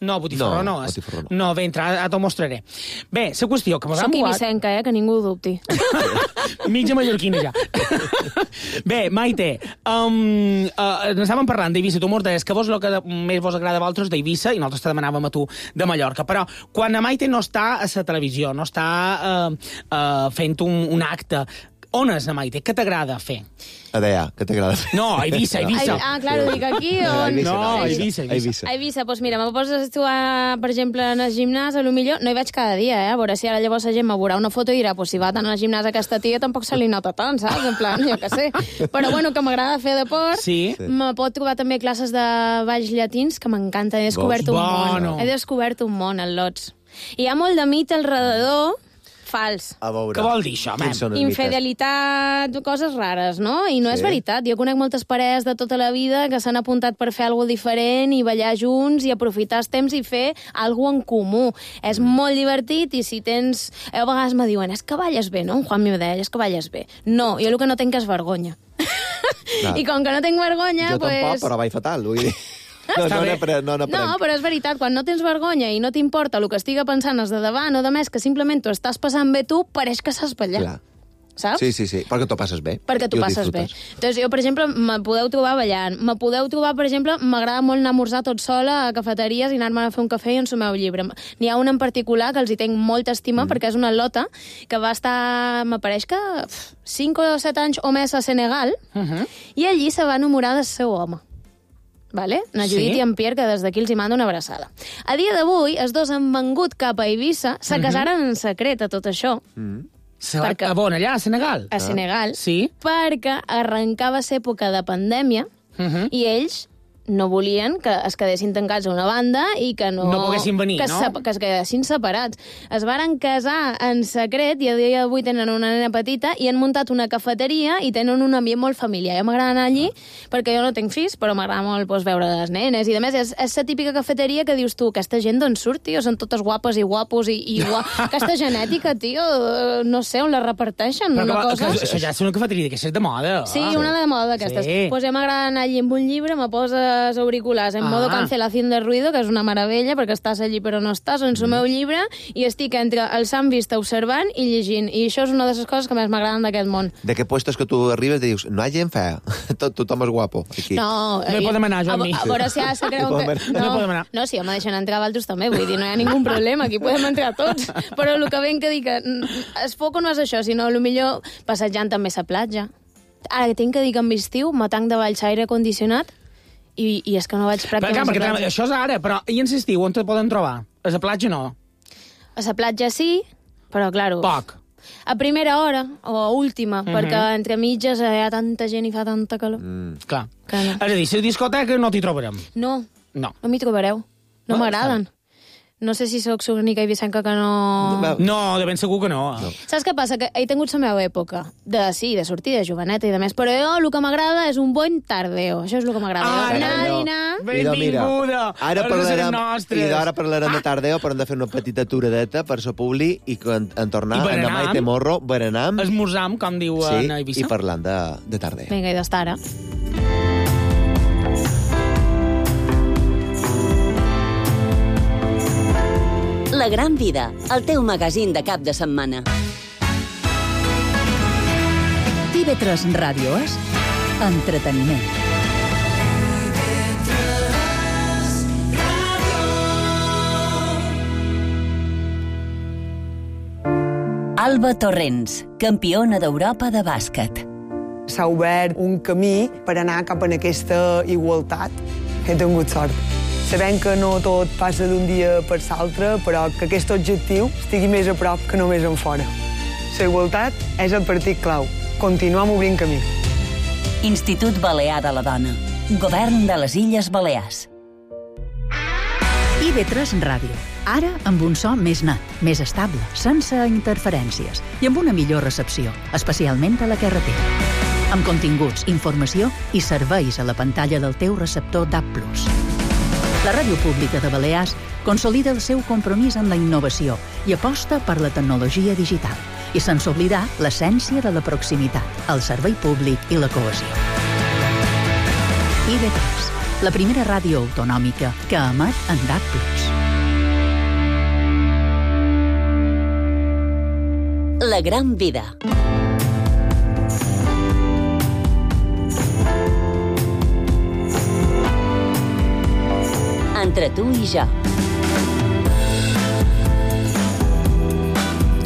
No, botifarró no. No, botifarró no. no ventre, ara t'ho mostraré. Bé, la qüestió que mos Soc han mogat... ibicenca, eh, que ningú ho dubti. Mitja mallorquina, ja. Bé, Maite, um, uh, n'estàvem parlant d'Eivissa. Tu mos deies que vos el que més vos agrada a vosaltres d'Eivissa, i nosaltres te demanàvem a tu de Mallorca. Però quan la Maite no està a la televisió, no està uh, uh, fent un, un acte, on és la Maite? Què t'agrada fer? A Deià, què t'agrada fer? No, a Eivissa, a Eivissa. Ah, claro, dic aquí o... No, Eivissa, a Eivissa, a Eivissa. A Eivissa, doncs mira, me poses tu, a, per exemple, en el gimnàs, a lo millor no hi vaig cada dia, eh? A veure si ara llavors la gent me veurà una foto i dirà, pues si va tant al gimnàs aquesta tia tampoc se li nota tant, saps? En plan, jo què sé. Però bueno, que m'agrada fer deport. Sí. Me pot trobar també classes de balls llatins, que m'encanta. He descobert un Bueno. món. He descobert un món, al Lots. Hi ha molt de mit al redador, fals. A veure. Què vol dir això, Quins són els Infidelitat, coses rares, no? I no Sí. és veritat. Jo conec moltes parelles de tota la vida que s'han apuntat per fer alguna diferent i ballar junts i aprofitar els temps i fer alguna en comú. És molt divertit i si tens... A vegades me diuen, és que balles bé, no? En Juan me deia, és que balles bé. No, jo el que no tinc és vergonya. Clar. I com que no tinc vergonya, Jo pues... tampoc, però vaig fatal, vull dir. No, no, n'aprenc, no, n'aprenc. No, però és veritat, quan no tens vergonya i no t'importa el que estiga pensant els de davant o de més, que simplement t'ho estàs passant bé tu, pareix que saps ballar. Clar. Saps? Sí, sí, sí, perquè t'ho passes bé. Perquè t'ho I ho passes bé. disfrutes. Doncs jo, per exemple, me podeu trobar ballant. Me podeu trobar, per exemple, m'agrada molt anar a esmorzar tot sola a cafeteries i anar-me a fer un cafè i ensumar un llibre. N'hi ha una en particular que els hi tenc molta estima mm. perquè és una lota que va estar, m'apareix que cinc o set anys o més a Senegal Uh -huh. i allí se va enamorar del seu home. Vale? Na Judit Sí. i en Pierre, que des d'aquí els hi mando una abraçada. A dia d'avui, els dos han vengut cap a Eivissa, se casaren en secret a tot això, Mm. Se va a on, allà, a Senegal? a Senegal, Sí. perquè arrencava l'època de pandèmia Uh -huh. i ells no volien que es quedessin tancats a una banda i que no... No poguessin venir, que no? Se, que es quedessin separats. Es varen casar en secret i a dia d'avui tenen una nena petita i han muntat una cafeteria i tenen un ambient molt familiar. Jo m'agrada anar allí perquè jo no tinc fills, però m'agrada molt pues, veure les nenes i, a més, és, és la típica cafeteria que dius tu, aquesta gent d'on surt, tio? Són totes guapes i guapos i, i gua... aquesta genètica, tio, no sé on la reparteixen. Però una que, cosa... que, això ja és una cafeteria que és de moda. Sí, Ah. una de moda d'aquestes. Sí. Pues a mi m'agrada anar allí amb un llibre, me poses auriculars en Ah. modo cancelación de ruido, que és una meravella, perquè estàs allí però no estàs, en el meu llibre, i estic entre el Sant Vista observant i llegint. I això és una de les coses que més m'agraden d'aquest món. De què puestos que tu arribes i dius, no hi ha gent fea, Tot, tothom és guapo, aquí. No, No hi eh, podem anar, a, Joan-Mi. a veure si ara se creuen No que... podem anar. No podem anar. No, si home, deixen entrar altres també, vull dir, no hi ha ningú problema, aquí podem entrar tots. Però el que ben que dic, que es foco no és això, sinó el millor passejant també a la platja. Ara que tinc que dir que en estiu me tanc de valls aire condicionat i, i és que no vaig Però, pràcticament clar, a la perquè platja. això és ara, però i en l'estiu on te poden trobar? A la platja no. A la platja sí, però, claro... Poc. A primera hora, o a última, Mhm. perquè entre mitges hi ha tanta gent i fa tanta calor. Mm. Clar. Que no. És a dir, si la discoteca no t'hi trobarem. No, No. no m'hi trobareu. No Ah, m'agraden. No sé si sóc sornica i vicenca que no... No, de ben segur que no. no. Saps què passa? Que he tingut la meva època de, sí, de sortir de joveneta i de més, però jo el que m'agrada és un bon tardeo. Això és el que m'agrada. Ah, Anar a no. dinar... Idò, mira, Benvinguda! Ara Ara serem parlarem, nostres. i ara parlarem de tardeo, però hem de fer una petita aturadeta per so publi i en, en tornar I a berenam. Maite Morro, berenam, Esmorzam, com diu sí, en Eivissa. i parlant de, de tardeo. Vinga, i d'estar ara. La gran vida, el teu magazín de cap de setmana. T V tres Ràdio és entreteniment. Alba Torrents, campiona d'Europa de bàsquet. S'ha obert un camí per anar cap a aquesta igualtat. He tingut sort. Sabem que no tot passa d'un dia per l'altre, però que aquest objectiu estigui més a prop que només en fora. La igualtat és el partit clau. continuem obrint camí. Institut Balear de la Dona. Govern de les Illes Balears. I B tres Ràdio. Ara amb un so més net, més estable, sense interferències i amb una millor recepció, especialment a la carretera. Amb continguts, informació i serveis a la pantalla del teu receptor D A B plus. La Ràdio Pública de Balears consolida el seu compromís amb la innovació i aposta per la tecnologia digital, i sense oblidar l'essència de la proximitat, el servei públic i la cohesió. I B tres, la primera ràdio autonòmica que emet en D A B plus. La gran vida. Entre tu i jo.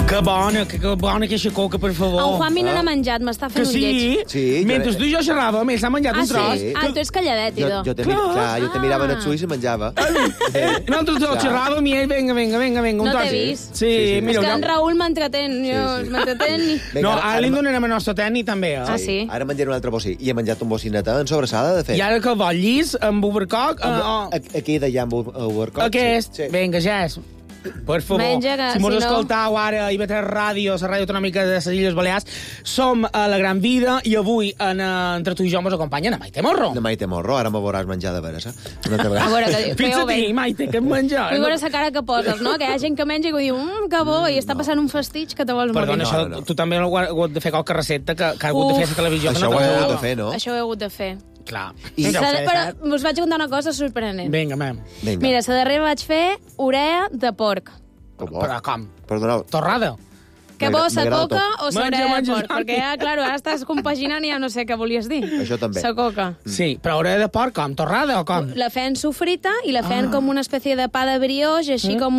Que bona, que, que bona aquesta coca, per favor. El Juanmi no n'ha menjat, m'està fent que un sí? lleig. Sí, Mentre jo... tu i jo xerràvem, ell s'ha menjat Ah, un tros. sí? Ah, tu ets calladet, Jo, idò. jo te, mir... clar, jo te mirava en els ulls i menjava. Nosaltres dos xerràvem i ell, vinga, vinga, vinga, vinga. un No tros. t'he vist. Sí, És mira, que en jo... Raül m'entretén, jo m'entretén i... No, ara li donarem el nostre tècnic, també. Eh? Ah, sí? Ara menjaré un altre bocí. I he menjat un bocineta en sobrassada, de fet. I ara que vol llis, amb overcock... Amb, Uh, oh. Aquí d'allà amb overcock. Aquest, Sí. vinga, ja és. Per favor, Menja, que, si mos si no- escoltau ara a I B tres Ràdio, la ràdio autonòmica de les Illes Balears, som a la Gran Vida i avui en, eh, entre tu i jo mos acompanyen a Maite Morro. De Maite Morro, ara me veuràs menjar de veres, eh? Una altra A vegada. veure, que, que Fins ja a ho veig. ti, Maite, que em menja. Vull veure la cara que poses, no? Que hi ha gent que menja i que diu, mmm, que bo, i està passant un fastig que te vols morir. Perdona, No, això, no, no. tu també heu hagut de fer qualque recepta que, que ha hagut de fer a la televisió. que Això no ho he t'agradava. hagut de fer, no? Això ho he hagut de fer. Clar. I- Ja ho S'ha sé, de- però saps? us vaig contar una cosa sorprenent. Vinga, mem. Vinga. Mira, la darrera vaig fer urea de porc. Que bo. Però com? Perdoneu. Torrada? Que bo, sa M'agrada coca tot. o sa Menja, urea de menja, porc? Jordi. Perquè, ja, clar, ara estàs compaginant i ja no sé què volies dir. Això també. Sa coca. Sí, però hauré de porc com? Torrada o com? La feien sofrita i la feien ah. com una espècie de pa de brioix, així mm. com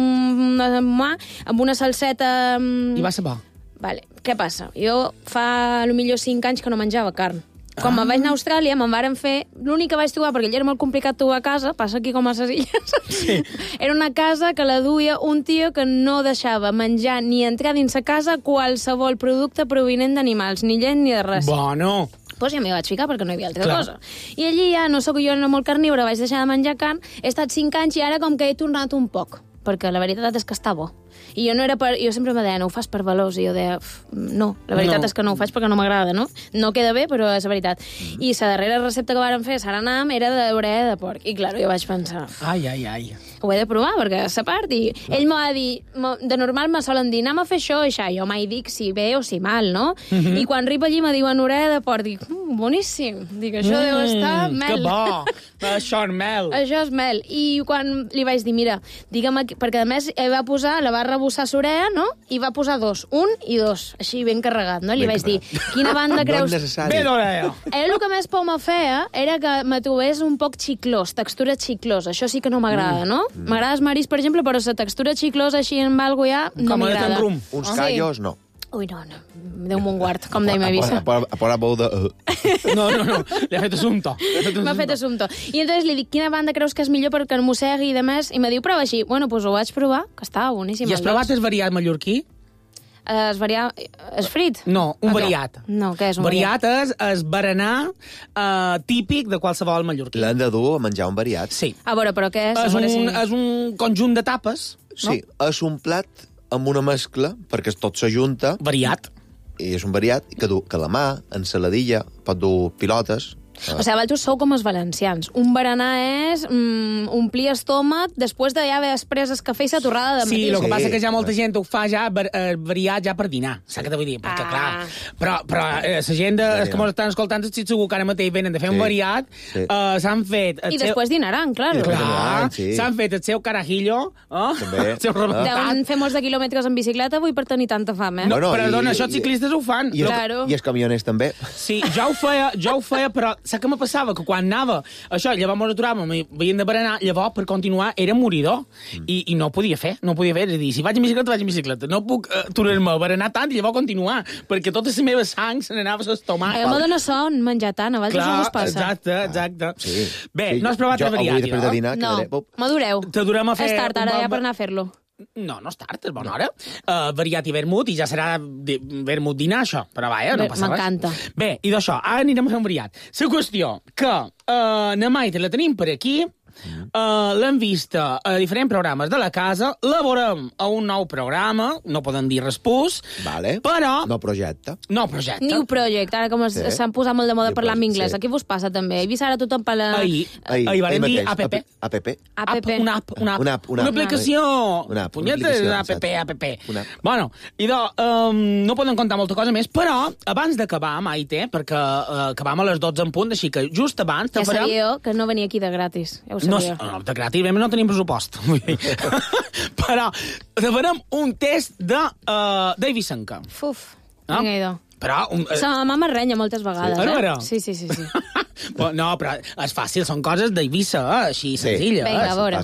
una, amb una salseta... I va ser bo. Vale. Què passa? Jo fa, a lo millor, cinc anys que no menjava carn. Quan Ah. me'n vaig anar a Austràlia, me'n varen fer... L'únic que vaig trobar, perquè allà era molt complicat trobar casa, passa aquí com a ses illes, sí. Era una casa que la duia un tio que no deixava menjar ni entrar dins sa casa qualsevol producte provinent d'animals, ni llet ni de res. Bueno. Pues ja m'hi vaig ficar perquè no hi havia altra Clar. cosa. I allí ja no sóc jo no molt carnívora, vaig deixar de menjar carn, he estat cinc anys i ara com que he tornat un poc, perquè la veritat és que està bo. I jo no era per... Jo sempre me deia, no ho fas per valors, i jo deia, no, la veritat No. és que no ho faig perquè no m'agrada, no? No queda bé, però és la veritat. Mm. I la darrera recepta que vàrem fer, Saranam, era d'urea de porc. I, clar, jo vaig pensar, Ai, ai, ai. ho he de provar, perquè és a part. I ell m'ho va dir, "Mo- de normal me solen dir, anem a fer això i això. Jo mai dic si bé o si mal, no? Mhm. Mm-hmm. I quan arribo allí me diuen urea de porc, dic, mm, boníssim. Dic, això mm, deu estar mel. Que bo. Això és mel. Això és mel. I quan li vaig dir, mira, digue'm aquí, perquè a més ell va posar, la va rebossar s'urea, no? I va posar dos, un i dos, així ben carregat, no? I li Ben vaig dir, quina banda No creus... és necessari. Bé d'orella. Ell el que més por me feia era que me trobés un poc xiclós, textura xiclosa. Això sí que no m'agrada, no? M'agrada el marisc, per exemple, però la textura xiclosa així en algo ja no Com a de m'agrada. tan rum. Uns Sí. callos, no. Ui, no, no. Déu mon guard, com deia A Eivissa. por- a por a bou de... uh. No, no, no. Li ha fet assumpto. M'ha fet assumpto. I entonces li dic, quina banda creus que és millor perquè no mossegui i demés? I me diu, prova així. Bueno, doncs ho vaig provar, que estava boníssim. I has provat el variat mallorquí? Es varia... Es frit? No, un Ah, variat. No, què és un Variat és el berenar uh, típic de qualsevol mallorquí. L'han de dur a menjar un variat. Sí. A veure, però què és? A És veure un, si- és un conjunt de tapes, no? Sí, és un plat amb una mescla, perquè tot s'ajunta, Variat. i és un variat que du calamar, ensaladilla, pot dur pilotes... O sigui, vosaltres sou com els valencians. Un berenar és mm, omplir estómac després de ja haver pres el cafè i la torrada de matí. Sí, el que Sí. passa és que ja molta gent ho fa ja var, eh, variat ja per dinar, saps què te vull dir? Perquè, Ah. clar, però, però eh, la gent de, els que m'ho estan escoltant estic segur que ara mateix venen de fer un Sí. variat, Sí. eh, s'han fet... el I seu- després dinaran, clar. I després Clar, dinaran, sí. s'han fet el seu carajillo, eh? També. el seu Ah. rebentat. Deuen fer molts de quilòmetres en bicicleta avui per tenir tanta fam, eh? No, Bueno, perdona, i- això els ciclistes ho fan. I, No, Claro. I els camioners també. Sí, jo ho feia, jo ho feia, però saps què me passava? Que quan anava, això, llavors m'ho aturàvem i veient de berenar, llavors, per continuar, era moridor. Mm. I, I no podia fer, no podia fer. És a dir, si vaig en bicicleta, vaig en bicicleta. No puc uh, aturar-me a berenar tant i llavors continuar, perquè tota la meva sang se n'anava a l'estomac. A mi me dona son menjar tant, a vosaltres no us passa. exacte, exacte. Sí. Bé, Sí, no has provat jo el variat, avui després de no? dinar No, quedaré... Pop. m'adoreu. Te durem a fer... És tard, un ara, bon- ja per anar a fer-lo. No, no és tard, és bona hora. Uh, variat i vermut, i ja serà de, vermut dinar, això. Però vaja, no passa res. M'encanta. Bé, i d'això, ara anirem a fer un variat. La qüestió que uh, na Maite la tenim per aquí, uh, l'hem vista a diferents programes de la casa, la veurem a un nou programa, no poden dir respús, vale. Però... No projecte. No projecte. New Project, ara com s'han sí. posat molt de moda parlar en anglès. Sí. Aquí vos passa també. He vist ara tothom parlar... Ahir, ahir, ahir van dir app. App. App. Una app, una app. Una, app, una, una aplicació. Una app. Punyeta, una app, app. Una app. Bueno, idò, um, no poden contar molta cosa més, però abans d'acabar, Maite, perquè uh, acabam a les dotze en punt, així que just abans... Ja farem... sabíeu que no venia aquí de gratis. Ja ho sabíeu. No, no de gratis, no tenim pressupost. Però farem un test de uh, Davis Senka. Uf, no? Vinga, idò. Però... Un, uh... La mama m'arrenya moltes vegades, sí. eh? Sí, sí, sí. sí. No, però és fàcil, són coses d'Eivissa, eh? Així sí. Senzilla. Vinga, a veure. Eh?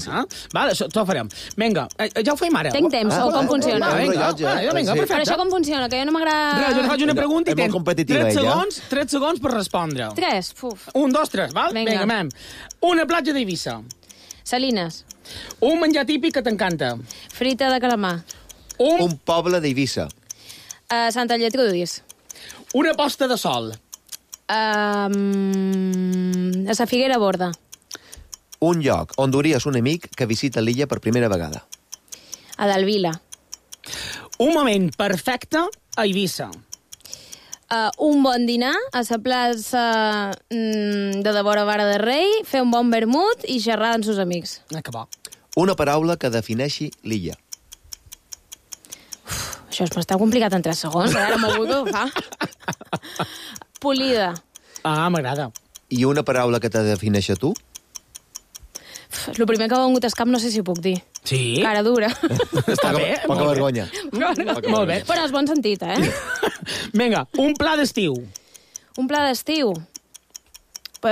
Vale, això ho farem. Vinga, ja ho feim ara. Tinc temps, ah, o com funciona? Ah, vinga, ah, vinga, perfecte. Però això com funciona, que jo no m'agrada... Res, jo te faig una pregunta i tens tres segons, tres segons per respondre. Tres? Uf. Un, dos, tres, val? Vinga, vinga mem. Una platja d'Eivissa. Salines. Un menjar típic que t'encanta. Frita de calamar. Un, un poble d'Eivissa. Uh, Santa Lletrudis. Una posta de sol. Um, a la Figuera Borda. Un lloc on duries un amic que visita l'illa per primera vegada. A Dalvila. Un moment perfecte a Eivissa. Uh, un bon dinar a la plaça mm, de Devora Vara de Rei, fer un bon vermut i xerrar amb seus amics. Ah, que bo. Una paraula que defineixi l'illa. Uf, això es m'està complicat en tres segons, ara m'ho vull que ho fa. Polida. Ah, m'agrada. I una paraula que te defineixi a tu? El primer que m'ha vengut al cap no sé si ho puc dir. Sí? Cara dura. Està poca, bé. Poca vergonya. Poca molt bé. Però és bon sentit, eh? Vinga, un pla d'estiu. Un pla d'estiu? Uh,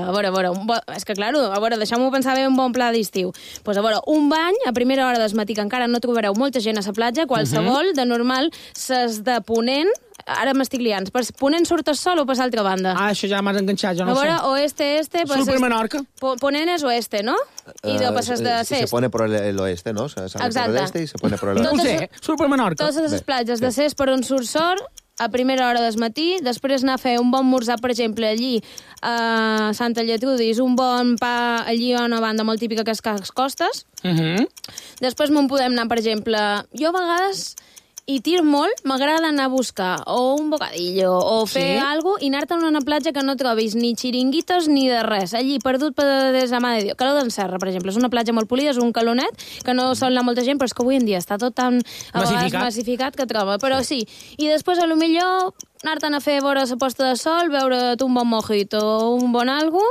a veure, a veure, un bo... és que, claro, a veure, deixeu-m'ho pensar bé un bon pla d'estiu. Pues, a veure, un bany a primera hora del matí, que encara no trobareu molta gent a la platja, qualsevol, uh -huh. de normal, ses de Ponent, ara m'estic liant, per Ponent surt el sol o per l'altra banda? Ah, això ja m'has enganxat, jo no a veure, sé. oeste, este... Surt per Menorca. Ponent és oeste, no? I de passes de uh, Cest. Se pone por el oeste, ¿no? Se sale exacte. por el este y se pone por el oeste. oeste. No ho sé, surt per Menorca. Totes les platges de Cest per on surt sol, a primera hora del matí, després anar a fer un bon morsar, per exemple, allí a Santa Lletrudis, un bon pa allí a una banda molt típica que és Cas Costes. Uh -huh. Després me'n podem anar, per exemple... Jo a vegades, i tir molt, m'agrada anar a buscar o un bocadillo o fer sí? alguna cosa i anar-te'n a una platja que no trobis ni xiringuitos ni de res. Allí, perdut per des de mà de Déu. Calor d'en Serra, per exemple, és una platja molt polida, és un calonet, que no sol anar molta gent, però és que avui en dia està tot tan a massificat, massificat que troba. Però sí, i després a lo millor anar-te'n a fer vora la posta de sol, beure un bon mojito o un bon algo...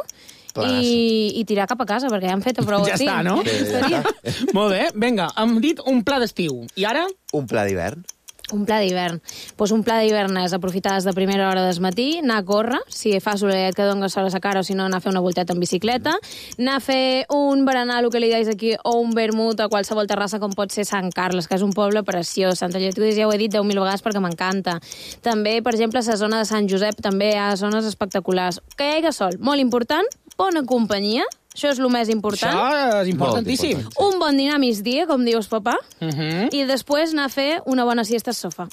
I, i tirar cap a casa, perquè ja hem fet prou. Ja està, no? Sí, ja està. Molt bé, vinga, hem dit un pla d'estiu. I ara? Un pla d'hivern. Un pla d'hivern. Pues un pla d'hivern és aprofitar des de primera hora del matí, anar a córrer, si fa solet que dona sol a la cara, o si no, anar a fer una volteta en bicicleta, anar a fer un berenar, el que li deis aquí, o un vermut a qualsevol terrassa, com pot ser Sant Carles, que és un poble preciós. Santa Lletrudis ja ho he dit deu mil vegades perquè m'encanta. També, per exemple, la zona de Sant Josep també hi ha zones espectaculars. Que hi hagi sol, molt important, bona companyia, això és el més important. Això és importantíssim. Un bon dinar a migdia, com dius, papà, uh -huh. i després anar a fer una bona siesta al sofà.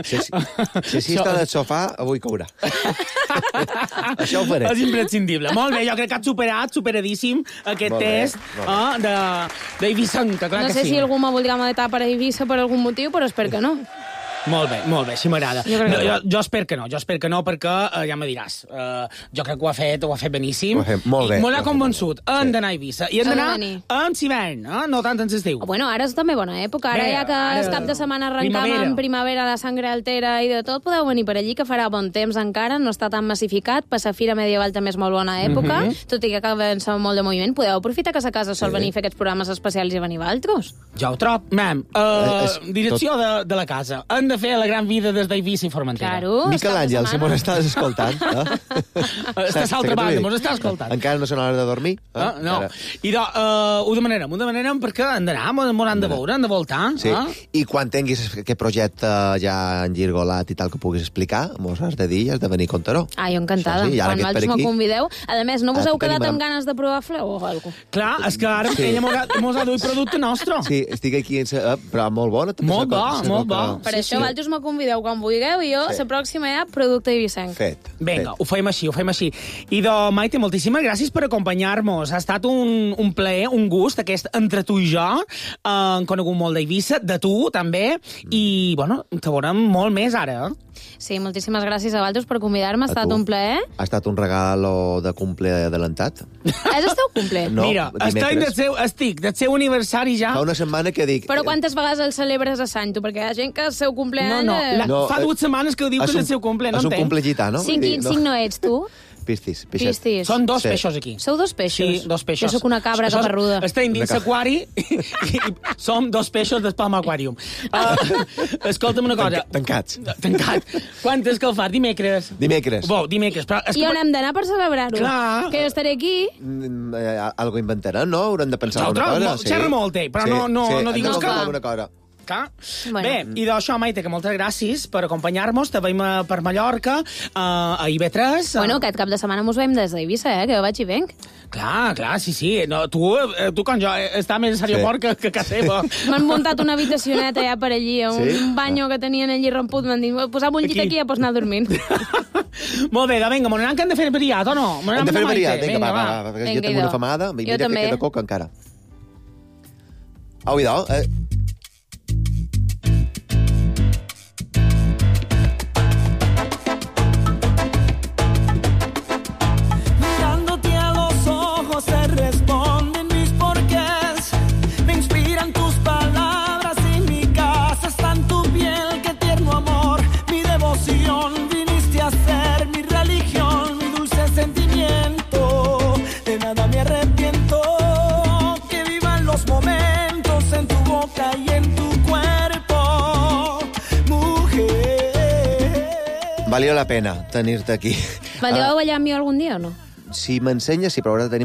Si, si, si, si està del sofà, avui courà. Això ho faré. És imprescindible. Molt bé, jo crec que has superat, superadíssim, aquest molt bé, test eh, d'Eivissa, que clar no que sé sí. si algú me voldrà matar per Eivissa per algun motiu, però espero que no. Molt bé, molt bé, així m'agrada. Jo, no, jo, jo espero que no, jo espero que no, perquè uh, ja me diràs. Uh, jo crec que ho ha fet, ho ha fet beníssim. Ho ha fet molt bé. Molt ha convençut. Hem d'anar a Eivissa. I hem d'anar d'anar en hivern, eh? No tant en l'estiu. Bueno, ara és també bona època. Ara Bé, ja que ara- el cap de setmana arrencam primavera. en primavera, la sangre altera i de tot, podeu venir per allí, que farà bon temps encara, no està tan massificat. Per la Fira Medieval també és molt bona època, Mhm. tot i que cal pensar molt de moviment. Podeu aprofitar que a casa sol venir a fer aquests programes especials i venir valtros. Ja ho trob. Mem, uh, Eh, és direcció de, de la casa. Hem de de fer la gran vida des d'Eivissa i Formentera. Claro. Miquel Àngel, si mos estàs escoltant... Eh? Estàs a l'altra banda, mos estàs escoltant. Encara no són hores de dormir? Eh? Ah, no. I de, uh, ho demanarem, ho demanarem perquè han d'anar, m'ho han de veure, han de voltar. Sí. Eh? I quan tinguis aquest projecte ja engirgolat i tal que puguis explicar, mos has de dir i has de venir a contar-ho. Ah, jo encantada. Sí, quan vosaltres me convideu. A més, no vos Ah, heu quedat tenim- amb ganes de provar fleu o alguna cosa? Clar, és que ara Sí. ella mos ha, mos ha duit producte nostre. Sí, estic aquí, en sa... eh, però molt bona. també Molt sa- bo, sa- molt bo. Per Sí, això sí. vosaltres me convideu quan vulgueu i jo, Sí. la pròxima ja, producte eivissenc. Fet. Vinga, ho fem així, ho fem així. I de Maite, moltíssimes gràcies per acompanyar-nos. Ha estat un, un plaer, un gust, aquest entre tu i jo. Eh, hem conegut molt d'Eivissa, de tu, també. I, bueno, te veurem molt més ara, eh? Sí, moltíssimes gràcies a vosaltres per convidar-me, ha A estat tu. un plaer. Ha estat un regalo de cumple adelantat. És el teu cumple? No, Mira, estic del, dimecres. seu, estic del seu aniversari ja. Fa una setmana que dic... Però quantes vegades el celebres a Sant? Perquè hi ha gent que el seu No, cumpleaños... no, la, No, fa eh, dues setmanes que ho diu que és un- el seu cumple, no és un entenc. cumple gitano. Cinc, vull dir, quin cinc no ets, tu? Pistis, pixet. Pistis. Són dos Sí. peixos aquí. Sou dos peixos? Sí, dos peixos. Jo sóc una cabra Això- caparruda. Estem dins Una cabra. l'aquari i, i som dos peixos del Palma Aquarium. Uh, escolta'm una cosa. Tanca- tancats. Tancat. Quan és que el fas? Dimecres? Dimecres. Bo, dimecres. Però és I que... on hem d'anar per celebrar-ho? Clar. Que jo estaré aquí. Mm, eh, algo inventaran, no? Haurem de pensar Nosaltres, alguna mo- cosa. xerra molt, eh, però no- no- no digues Hem de que- pensar alguna cosa. Clar. Bueno. Bé, i d'això, Maite, que moltes gràcies per acompanyar-nos. Te veiem a- per Mallorca, a, a I B tres. a- Bueno, aquest cap de setmana mos veiem des d'Eivissa, eh? Que jo vaig i venc. Clar, clar, sí, sí. No, tu, eh, tu com jo, eh, està més a l'aeroport sí. que, que a casa seva. M'han muntat una habitacioneta ja per allí, un Sí? banyo que tenien allí romput. M'han dit, posa'm un llit Aquí. aquí i ja pots anar dormint. Molt bé, vinga, m'ho anem que hem de fer veritat, o no? M'ho Hem anem de fer amb la veritat. Maite. Vinga, va, va, va, perquè Vinga, jo tinc idò. una famada. Jo Mira que també. queda coca encara. Au, idò. Eh, Mirándote a los ojos se responden mis porqués. Me inspiran tus palabras y mi casa está en tu piel. Qué tierno amor, mi devoción. Viniste a ser mi religión, mi dulce sentimiento. De nada me arrepiento. Que vivan los momentos en tu boca y en tu cuerpo, mujer. valió la pena tenir-te aquí. Valdríeu Ah, ballar amb mi algun dia o no? si m'ensenyes, sí, però haurà de tenir molta